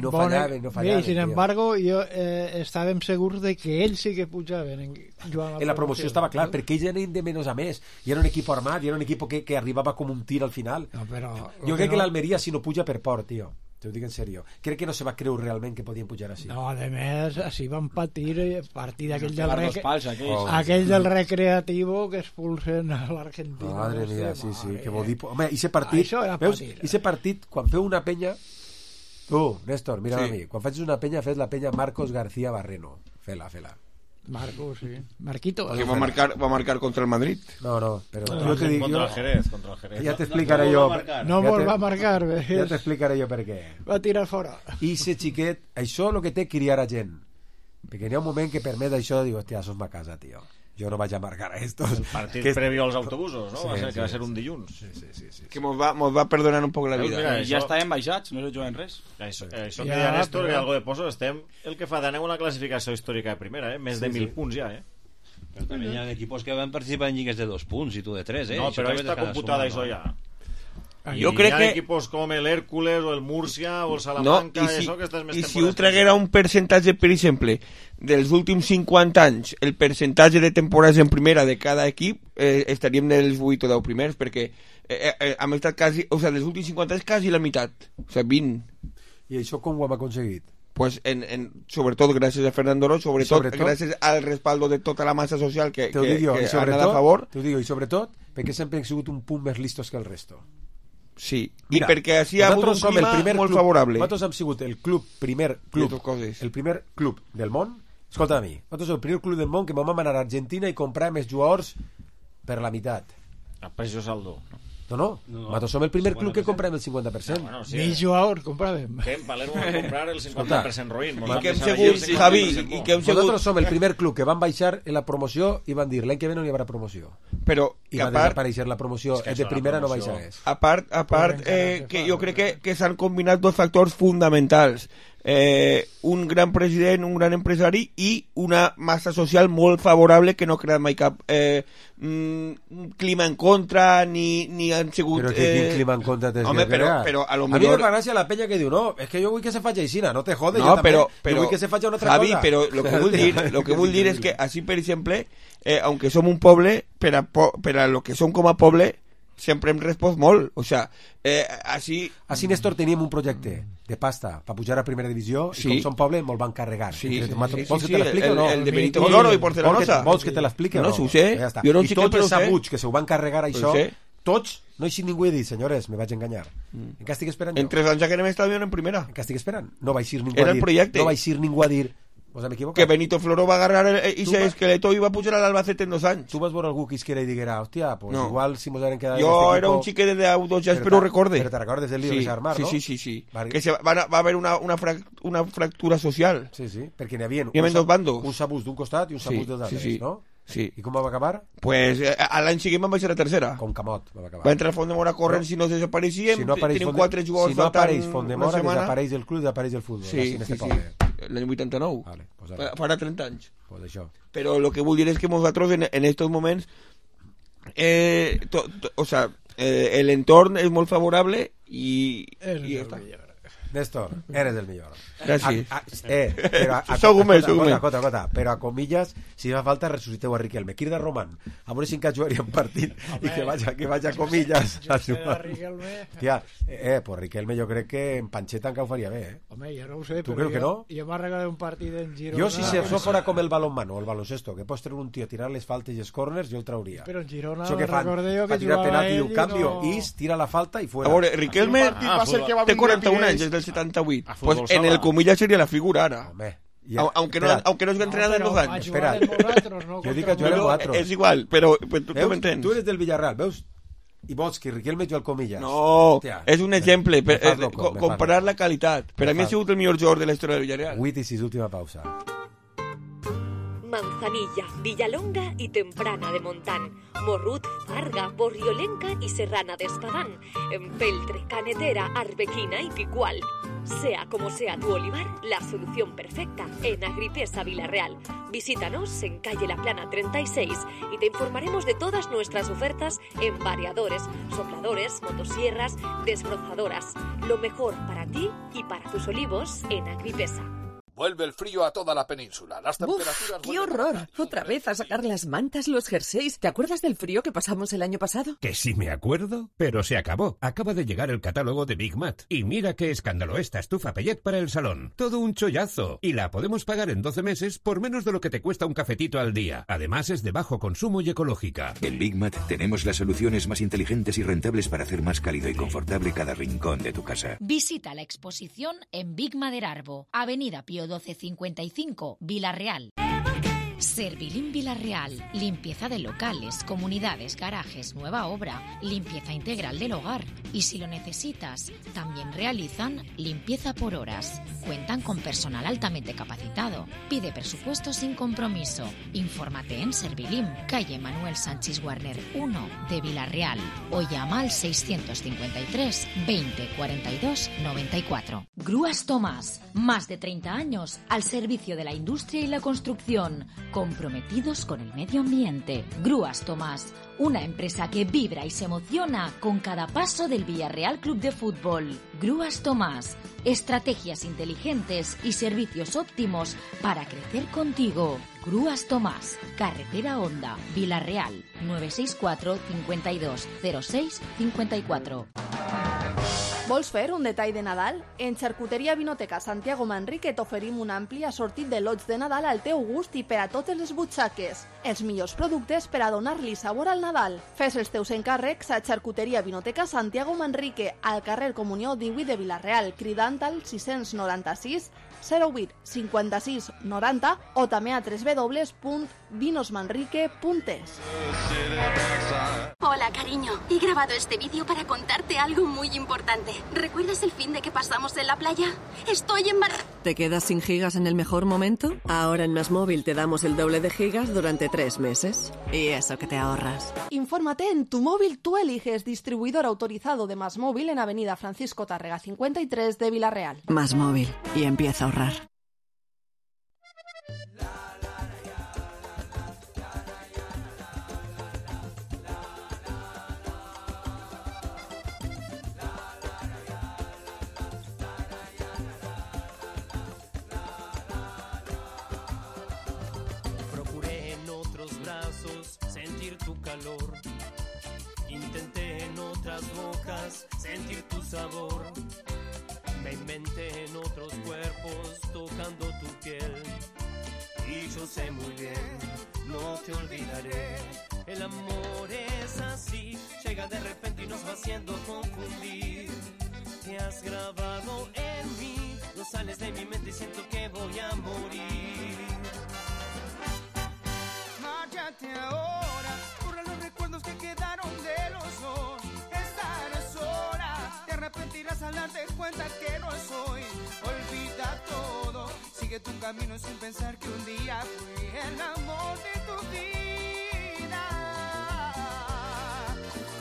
I sin embargo, estàvem segurs de que ells sí que pujaven en la promoció estava clar, perquè ells anaven de menys a més i era un equip armat, i era un equip que arribava com un tir al final. Jo crec que l'Almeria si no puja per por, tio, te ho dic en sèrio, crec que no se va creure realment que podien pujar així. No, a més, així van patir partir d'aquell del recreativo que expulsen a l'Argentina. Madre mia, sí, que vol dir... Home, i ese partit, quan feu una penya... Tu, Néstor, mira a mi, quan facis una penya fes la penya Marcos García Barreno. Fela. Marcos, sí. Marquito. Que va marcar contra el Madrid. No, pero yo te digo... Contra el Jerez. Ya te explicaré yo... No vol va marcar. Ja t'explicaré jo per què. Va tirar fora. I ese xiquet, això és el que té criar a gent. Perquè hi ha un moment que permet això, digo, hòstia, sos ma casa, tio. Jo no vaig a marcar a estos. El partit previ als autobusos, no? Que va ser un dilluns. Sí. Que mos va perdonar un poc la vida. Mira, ja estàvem baixats, no se juguen res. Això que deia Néstor, que algo de poso, estem el que fa d'anar una classificació històrica de primera, més de 1.000 punts ja, Però també hi ha equipos que van participar en lligues de 2 punts i tu de 3, No, però està computada això ja. Jo crec que... Hi ha equipos com l'Hèrcules o el Múrcia o el Salamanca això que estàs més temporades. I si ho traguera un percentatge, per exemple, dels últims 50 anys, el percentatge de temporades en primera de cada equip, estaríem dels 8 o 10 primers, perquè hem estat quasi... O sigui, dels últims 50 anys quasi la meitat. O sigui, 20. I això com ho hem aconseguit? Pues sobretot gràcies a Fernando Oro, sobretot gràcies al respaldo de tota la massa social que ha anat a favor. T'ho dic, i sobretot perquè sempre hem sigut un punt més listos que el resto. Sí, mira, i perquè així ha hagut un clima molt favorable. Nosaltres hem sigut el primer club del món. Escolta a mi, nosaltres som el primer club del món que vam anar a Argentina i comprar més jugadors per la meitat. A precio saldo. No. Nosaltres som el primer club que comprem el 50%. Ni jugadors compràvem. Que en Palermo va comprar el 50% Roín. I que hem segut, Javi, nosaltres som el primer club que van baixar en la promoció i van dir l'any que ve no hi haurà promoció. Però i va desaparèixer la promoció, de primera no baixa més. A part que jo crec que s'han combinat dos factors fonamentals. Un gran president, un gran empresari i una massa social molt favorable que no ha creat mai cap clima en contra ni han sigut... Però quin clima en contra t'has de crear? Però a lo millor... A mi me fa gràcia la penya que diu no, és que jo vull que se faci aixina, no te jodes, no, jo també, jo vull que se faci una altra Javi, cosa. Però lo que vull dir és que així, per exemple, aunque som un poble, per a lo que som com a poble, sempre hem respost molt, o sea, així... Així, Néstor, teníem un projecte de pasta per pujar a primera divisió i com som poble me'l van carregar. Vols que te l'expliqui o no? El de Benito Floro i Porcelosa. Vols que te l'expliqui o no? No, ho sé. Jo no sé I tots els sabuts que se ho van carregar això, tots, no hi ningú i dir, senyores, me vaig enganyar. En què estic esperant jo? En 3 anys ja que anem a estar en primera. En què estic esperant? No vaig ir ningú a dir... Era el projecte. No vaig ir ningú a dir... Que Benito Floro va agarrar ese esqueleto i va pujar a l'Albacete en 2 anys. Tu vas veure algú que isquera i diguera, hòstia, pues no. Igual si mos haguem quedat... Jo era un xiquet de Autojazz, però ho recorde. Però te recordes del lío de Sarmar, no? Sí. Que va haver una fractura social. Sí, perquè n'hi havia dos bandos. Un sabús d'un costat i un sabús dels altres, no? Sí. I com va acabar? Pues l'any següent van baixar a tercera. Com Camot va acabar. Va entrar Fondemora a córrer, si no desapareixíem, tenim 4 jugadors faltant una setmana. Si no apareix Fondemora, desapareix el club, desapareix el futbol. Sí. L'any 89. Vale, pues farà 30 anys. Pues això. Però el que vull dir és que nosaltres en estos moments el entorn és molt favorable i ja està. Néstor, eres el millor. Gràcies. Però a comillas, si fa falta, resuciteu a Riquelme. Quirda Roman, a veure si encara jugaria un partit i que vaig a comillas a jugar. Tia, pues Riquelme jo crec que en Pancheta encara ho faria bé, Home, jo no ho sé, tu creu que no? Jo m'ha regalat un partit en Girona. Jo si això fora com el balonmano o el baloncesto, que pots treure un tio a tirar les faltes i els corners, jo el trauria. Però en Girona recordé jo que jugava ell i no... Is, tira la falta i fuera. A veure, Riquelme té 41 anys, des del 78. Pues en el comillas seria la figura ara. Home. Aunque no es entrenado en 2 anys. Espera, jo dic que jugar en 4. És igual, però tu m'entens. Tu eres del Villarreal, veus? I vols que Riquelme juga al comillas. No, és un exemple, comparar la qualitat. Per a mi ha sigut el millor jugador de la història del Villarreal. 8 i 6, última pausa. Manzana Manzanilla, Villalonga y Temprana de Montán, Morrut, Farga, Borriolenca y Serrana de Espadán, Empeltre, Canetera, Arbequina y Picual. Sea como sea tu olivar, la solución perfecta en Agripesa Vilarreal. Visítanos en calle La Plana 36 y te informaremos de todas nuestras ofertas en variadores, sopladores, motosierras, desbrozadoras. Lo mejor para ti y para tus olivos en Agripesa. Vuelve el frío a toda la península. Las temperaturas... ¡Qué horror! Otra vez a sacar las mantas, los jerseys. ¿Te acuerdas del frío que pasamos el año pasado? Que sí me acuerdo, pero se acabó. Acaba de llegar el catálogo de Big Mat. Y mira qué escándalo esta estufa Pellet para el salón. Todo un chollazo. Y la podemos pagar en 12 meses por menos de lo que te cuesta un cafetito al día. Además es de bajo consumo y ecológica. En Big Mat tenemos las soluciones más inteligentes y rentables para hacer más cálido y confortable cada rincón de tu casa. Visita la exposición en Big Maderarbo, Avenida Pío 1255, Vilarreal. Servilim Vilarreal, limpieza de locales, comunidades, garajes, nueva obra, limpieza integral del hogar. Y si lo necesitas, también realizan limpieza por horas. Cuentan con personal altamente capacitado. Pide presupuesto sin compromiso. Infórmate en Servilim, calle Manuel Sánchez Guarner 1 de Vilarreal o llama al 653 20 42 94. Grúas Tomás, más de 30 años al servicio de la industria y la construcción, comprometidos con el medio ambiente. Grúas Tomás, una empresa que vibra y se emociona con cada paso del Villarreal Club de Fútbol. Grúas Tomás, estrategias inteligentes y servicios óptimos para crecer contigo. Grúas Tomás, Carretera Honda, Vilarreal, 964 52 06 54. Vols fer un detall de Nadal? En Xarcuteria Vinoteca Santiago Manrique t'oferim un ampli assortit de lots de Nadal al teu gust i per a totes les butxaques. Els millors productes per a donar-li sabor al Nadal. Fes els teus encàrrecs a Xarcuteria Vinoteca Santiago Manrique, al carrer Comunió 18 de Vilarreal, cridant al 696 08 56 90 o també a www.vinosmanrique.es. Hola, cariño. He grabado este vídeo para contarte algo muy importante. ¿Recuerdas el fin de que pasamos en la playa? Estoy embarazada. ¿Te quedas sin gigas en el mejor momento? Ahora en MásMóvil te damos el doble de gigas durante 3 meses. Y eso que te ahorras. Infórmate en Tu Móvil Tú Eliges, distribuidor autorizado de MásMóvil en Avenida Francisco Tárrega 53 de Vilarreal. MásMóvil. Y empieza a ahorrar. Sentir tu calor, intenté en otras bocas sentir tu sabor, me inventé en otros cuerpos tocando tu piel, y yo sé muy bien, no te olvidaré, el amor es así, llega de repente y nos va haciendo confundir, te has grabado en mí, no sales de mi mente y siento que voy a morir. Márchate ahora, borra los recuerdos que quedaron de los dos. Estarás sola, te arrepentirás al darte cuenta que no soy. Olvida todo, sigue tu camino sin pensar que un día fui el amor de tu vida.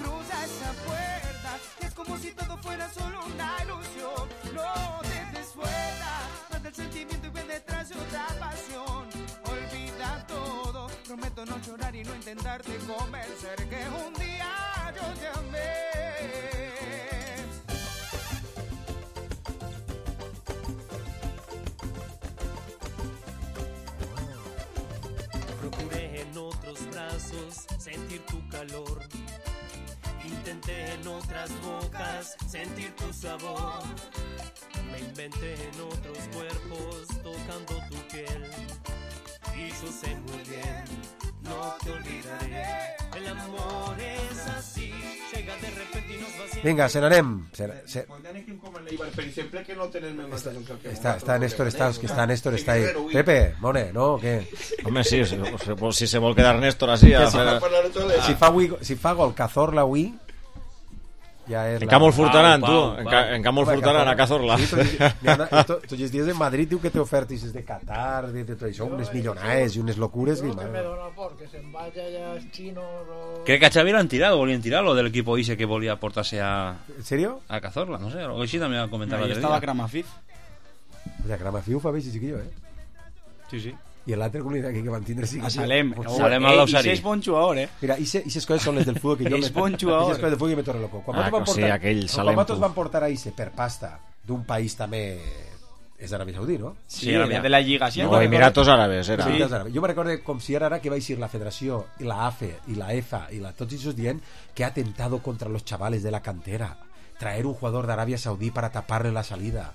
Cruza esa puerta, es como si todo fuera solo una ilusión. No te des vuelta, mata el sentimiento y ve detrás de otra pasión. Olvida todo, prometo no llorar y no intentarte convencer que un día yo te amé. Procuré en otros brazos sentir tu calor, intenté en otras bocas sentir tu sabor, me inventé en otros cuerpos tocando tu piel, y yo sé muy bien, no te olvidaré, el amor es así, llega de repente y nos va haciendo... Vinga, se n'anem. Per exemple, que no tenen més Està Néstor, està Néstor, està ahí. Pepe, Mone, no, què? Home, sí, si se vol quedar Néstor así... Si fa gol Cazorla avui... En Campo el Furtaran, tu. En Campo el Furtaran, a Cazorla. Tots els dies de Madrid diu que té ofertes de Qatar, de tot això, unes millonares i unes locures. No me dona por que se'n vaya ya els chinos o... Crec que a Xavi l'han tirado, volien tirar-lo del equipo ese que volia portar-se a... ¿En serio? A Cazorla, no sé, algo així també va comentar l'altre dia. Ahí estava Kramafif. O sea, Kramafif fa bé, chiquillo, Sí, sí. I l'altre comunitat que van tindre a Salem. Salem al Lausari. I és bon jugador, Mira, aquestes coses són les del futbol que jo... És bon jugador. Aquestes coses del futbol que me torna loco. Quan vosaltres van portar a Ise per pasta d'un país també... És d'Aràbia Saudí, ¿no? Sí, de la Lliga. No, Emiratos Árabes, era. Jo me recordo com si ara que va ir la Federació, i la AFE, i la EFA, i tots ells dient que ha atentado contra los chavales de la cantera. Traer un jugador d'Aràbia Saudí para taparle la salida.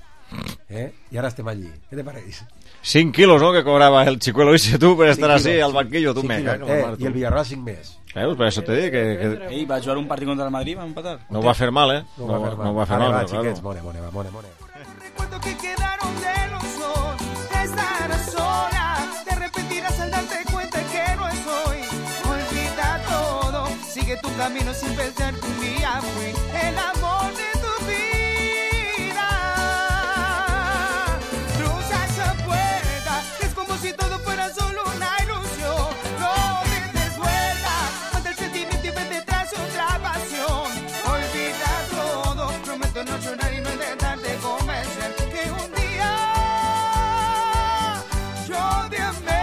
I ara estem allí. Què te pareix? 5 quilos, ¿no? Que cobraba el chicuelo ese tú por estar así al banquillo, tú me cago. Y el Villarreal 5 més. Por eso te digo que... va jugar un partido contra el Madrid, va a empatar. No va a hacer mal, No va a hacer mal. Chiquets, mone. Recuerdo que quedaron de los dos. Estarás sola, te arrepentirás al darte cuenta que no es hoy. Olvida todo, sigue tu camino sin pensar que un día fui el amor de tu vida. Cruza esa puerta, es como si todo fuera solo una ilusión. No te des vuelta, mata el sentimiento y vete tras otra pasión. Olvida todo, prometo no llorar y no intentarte convencer que un día yo te amé.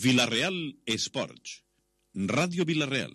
Villarreal Esports. Ràdio Villarreal.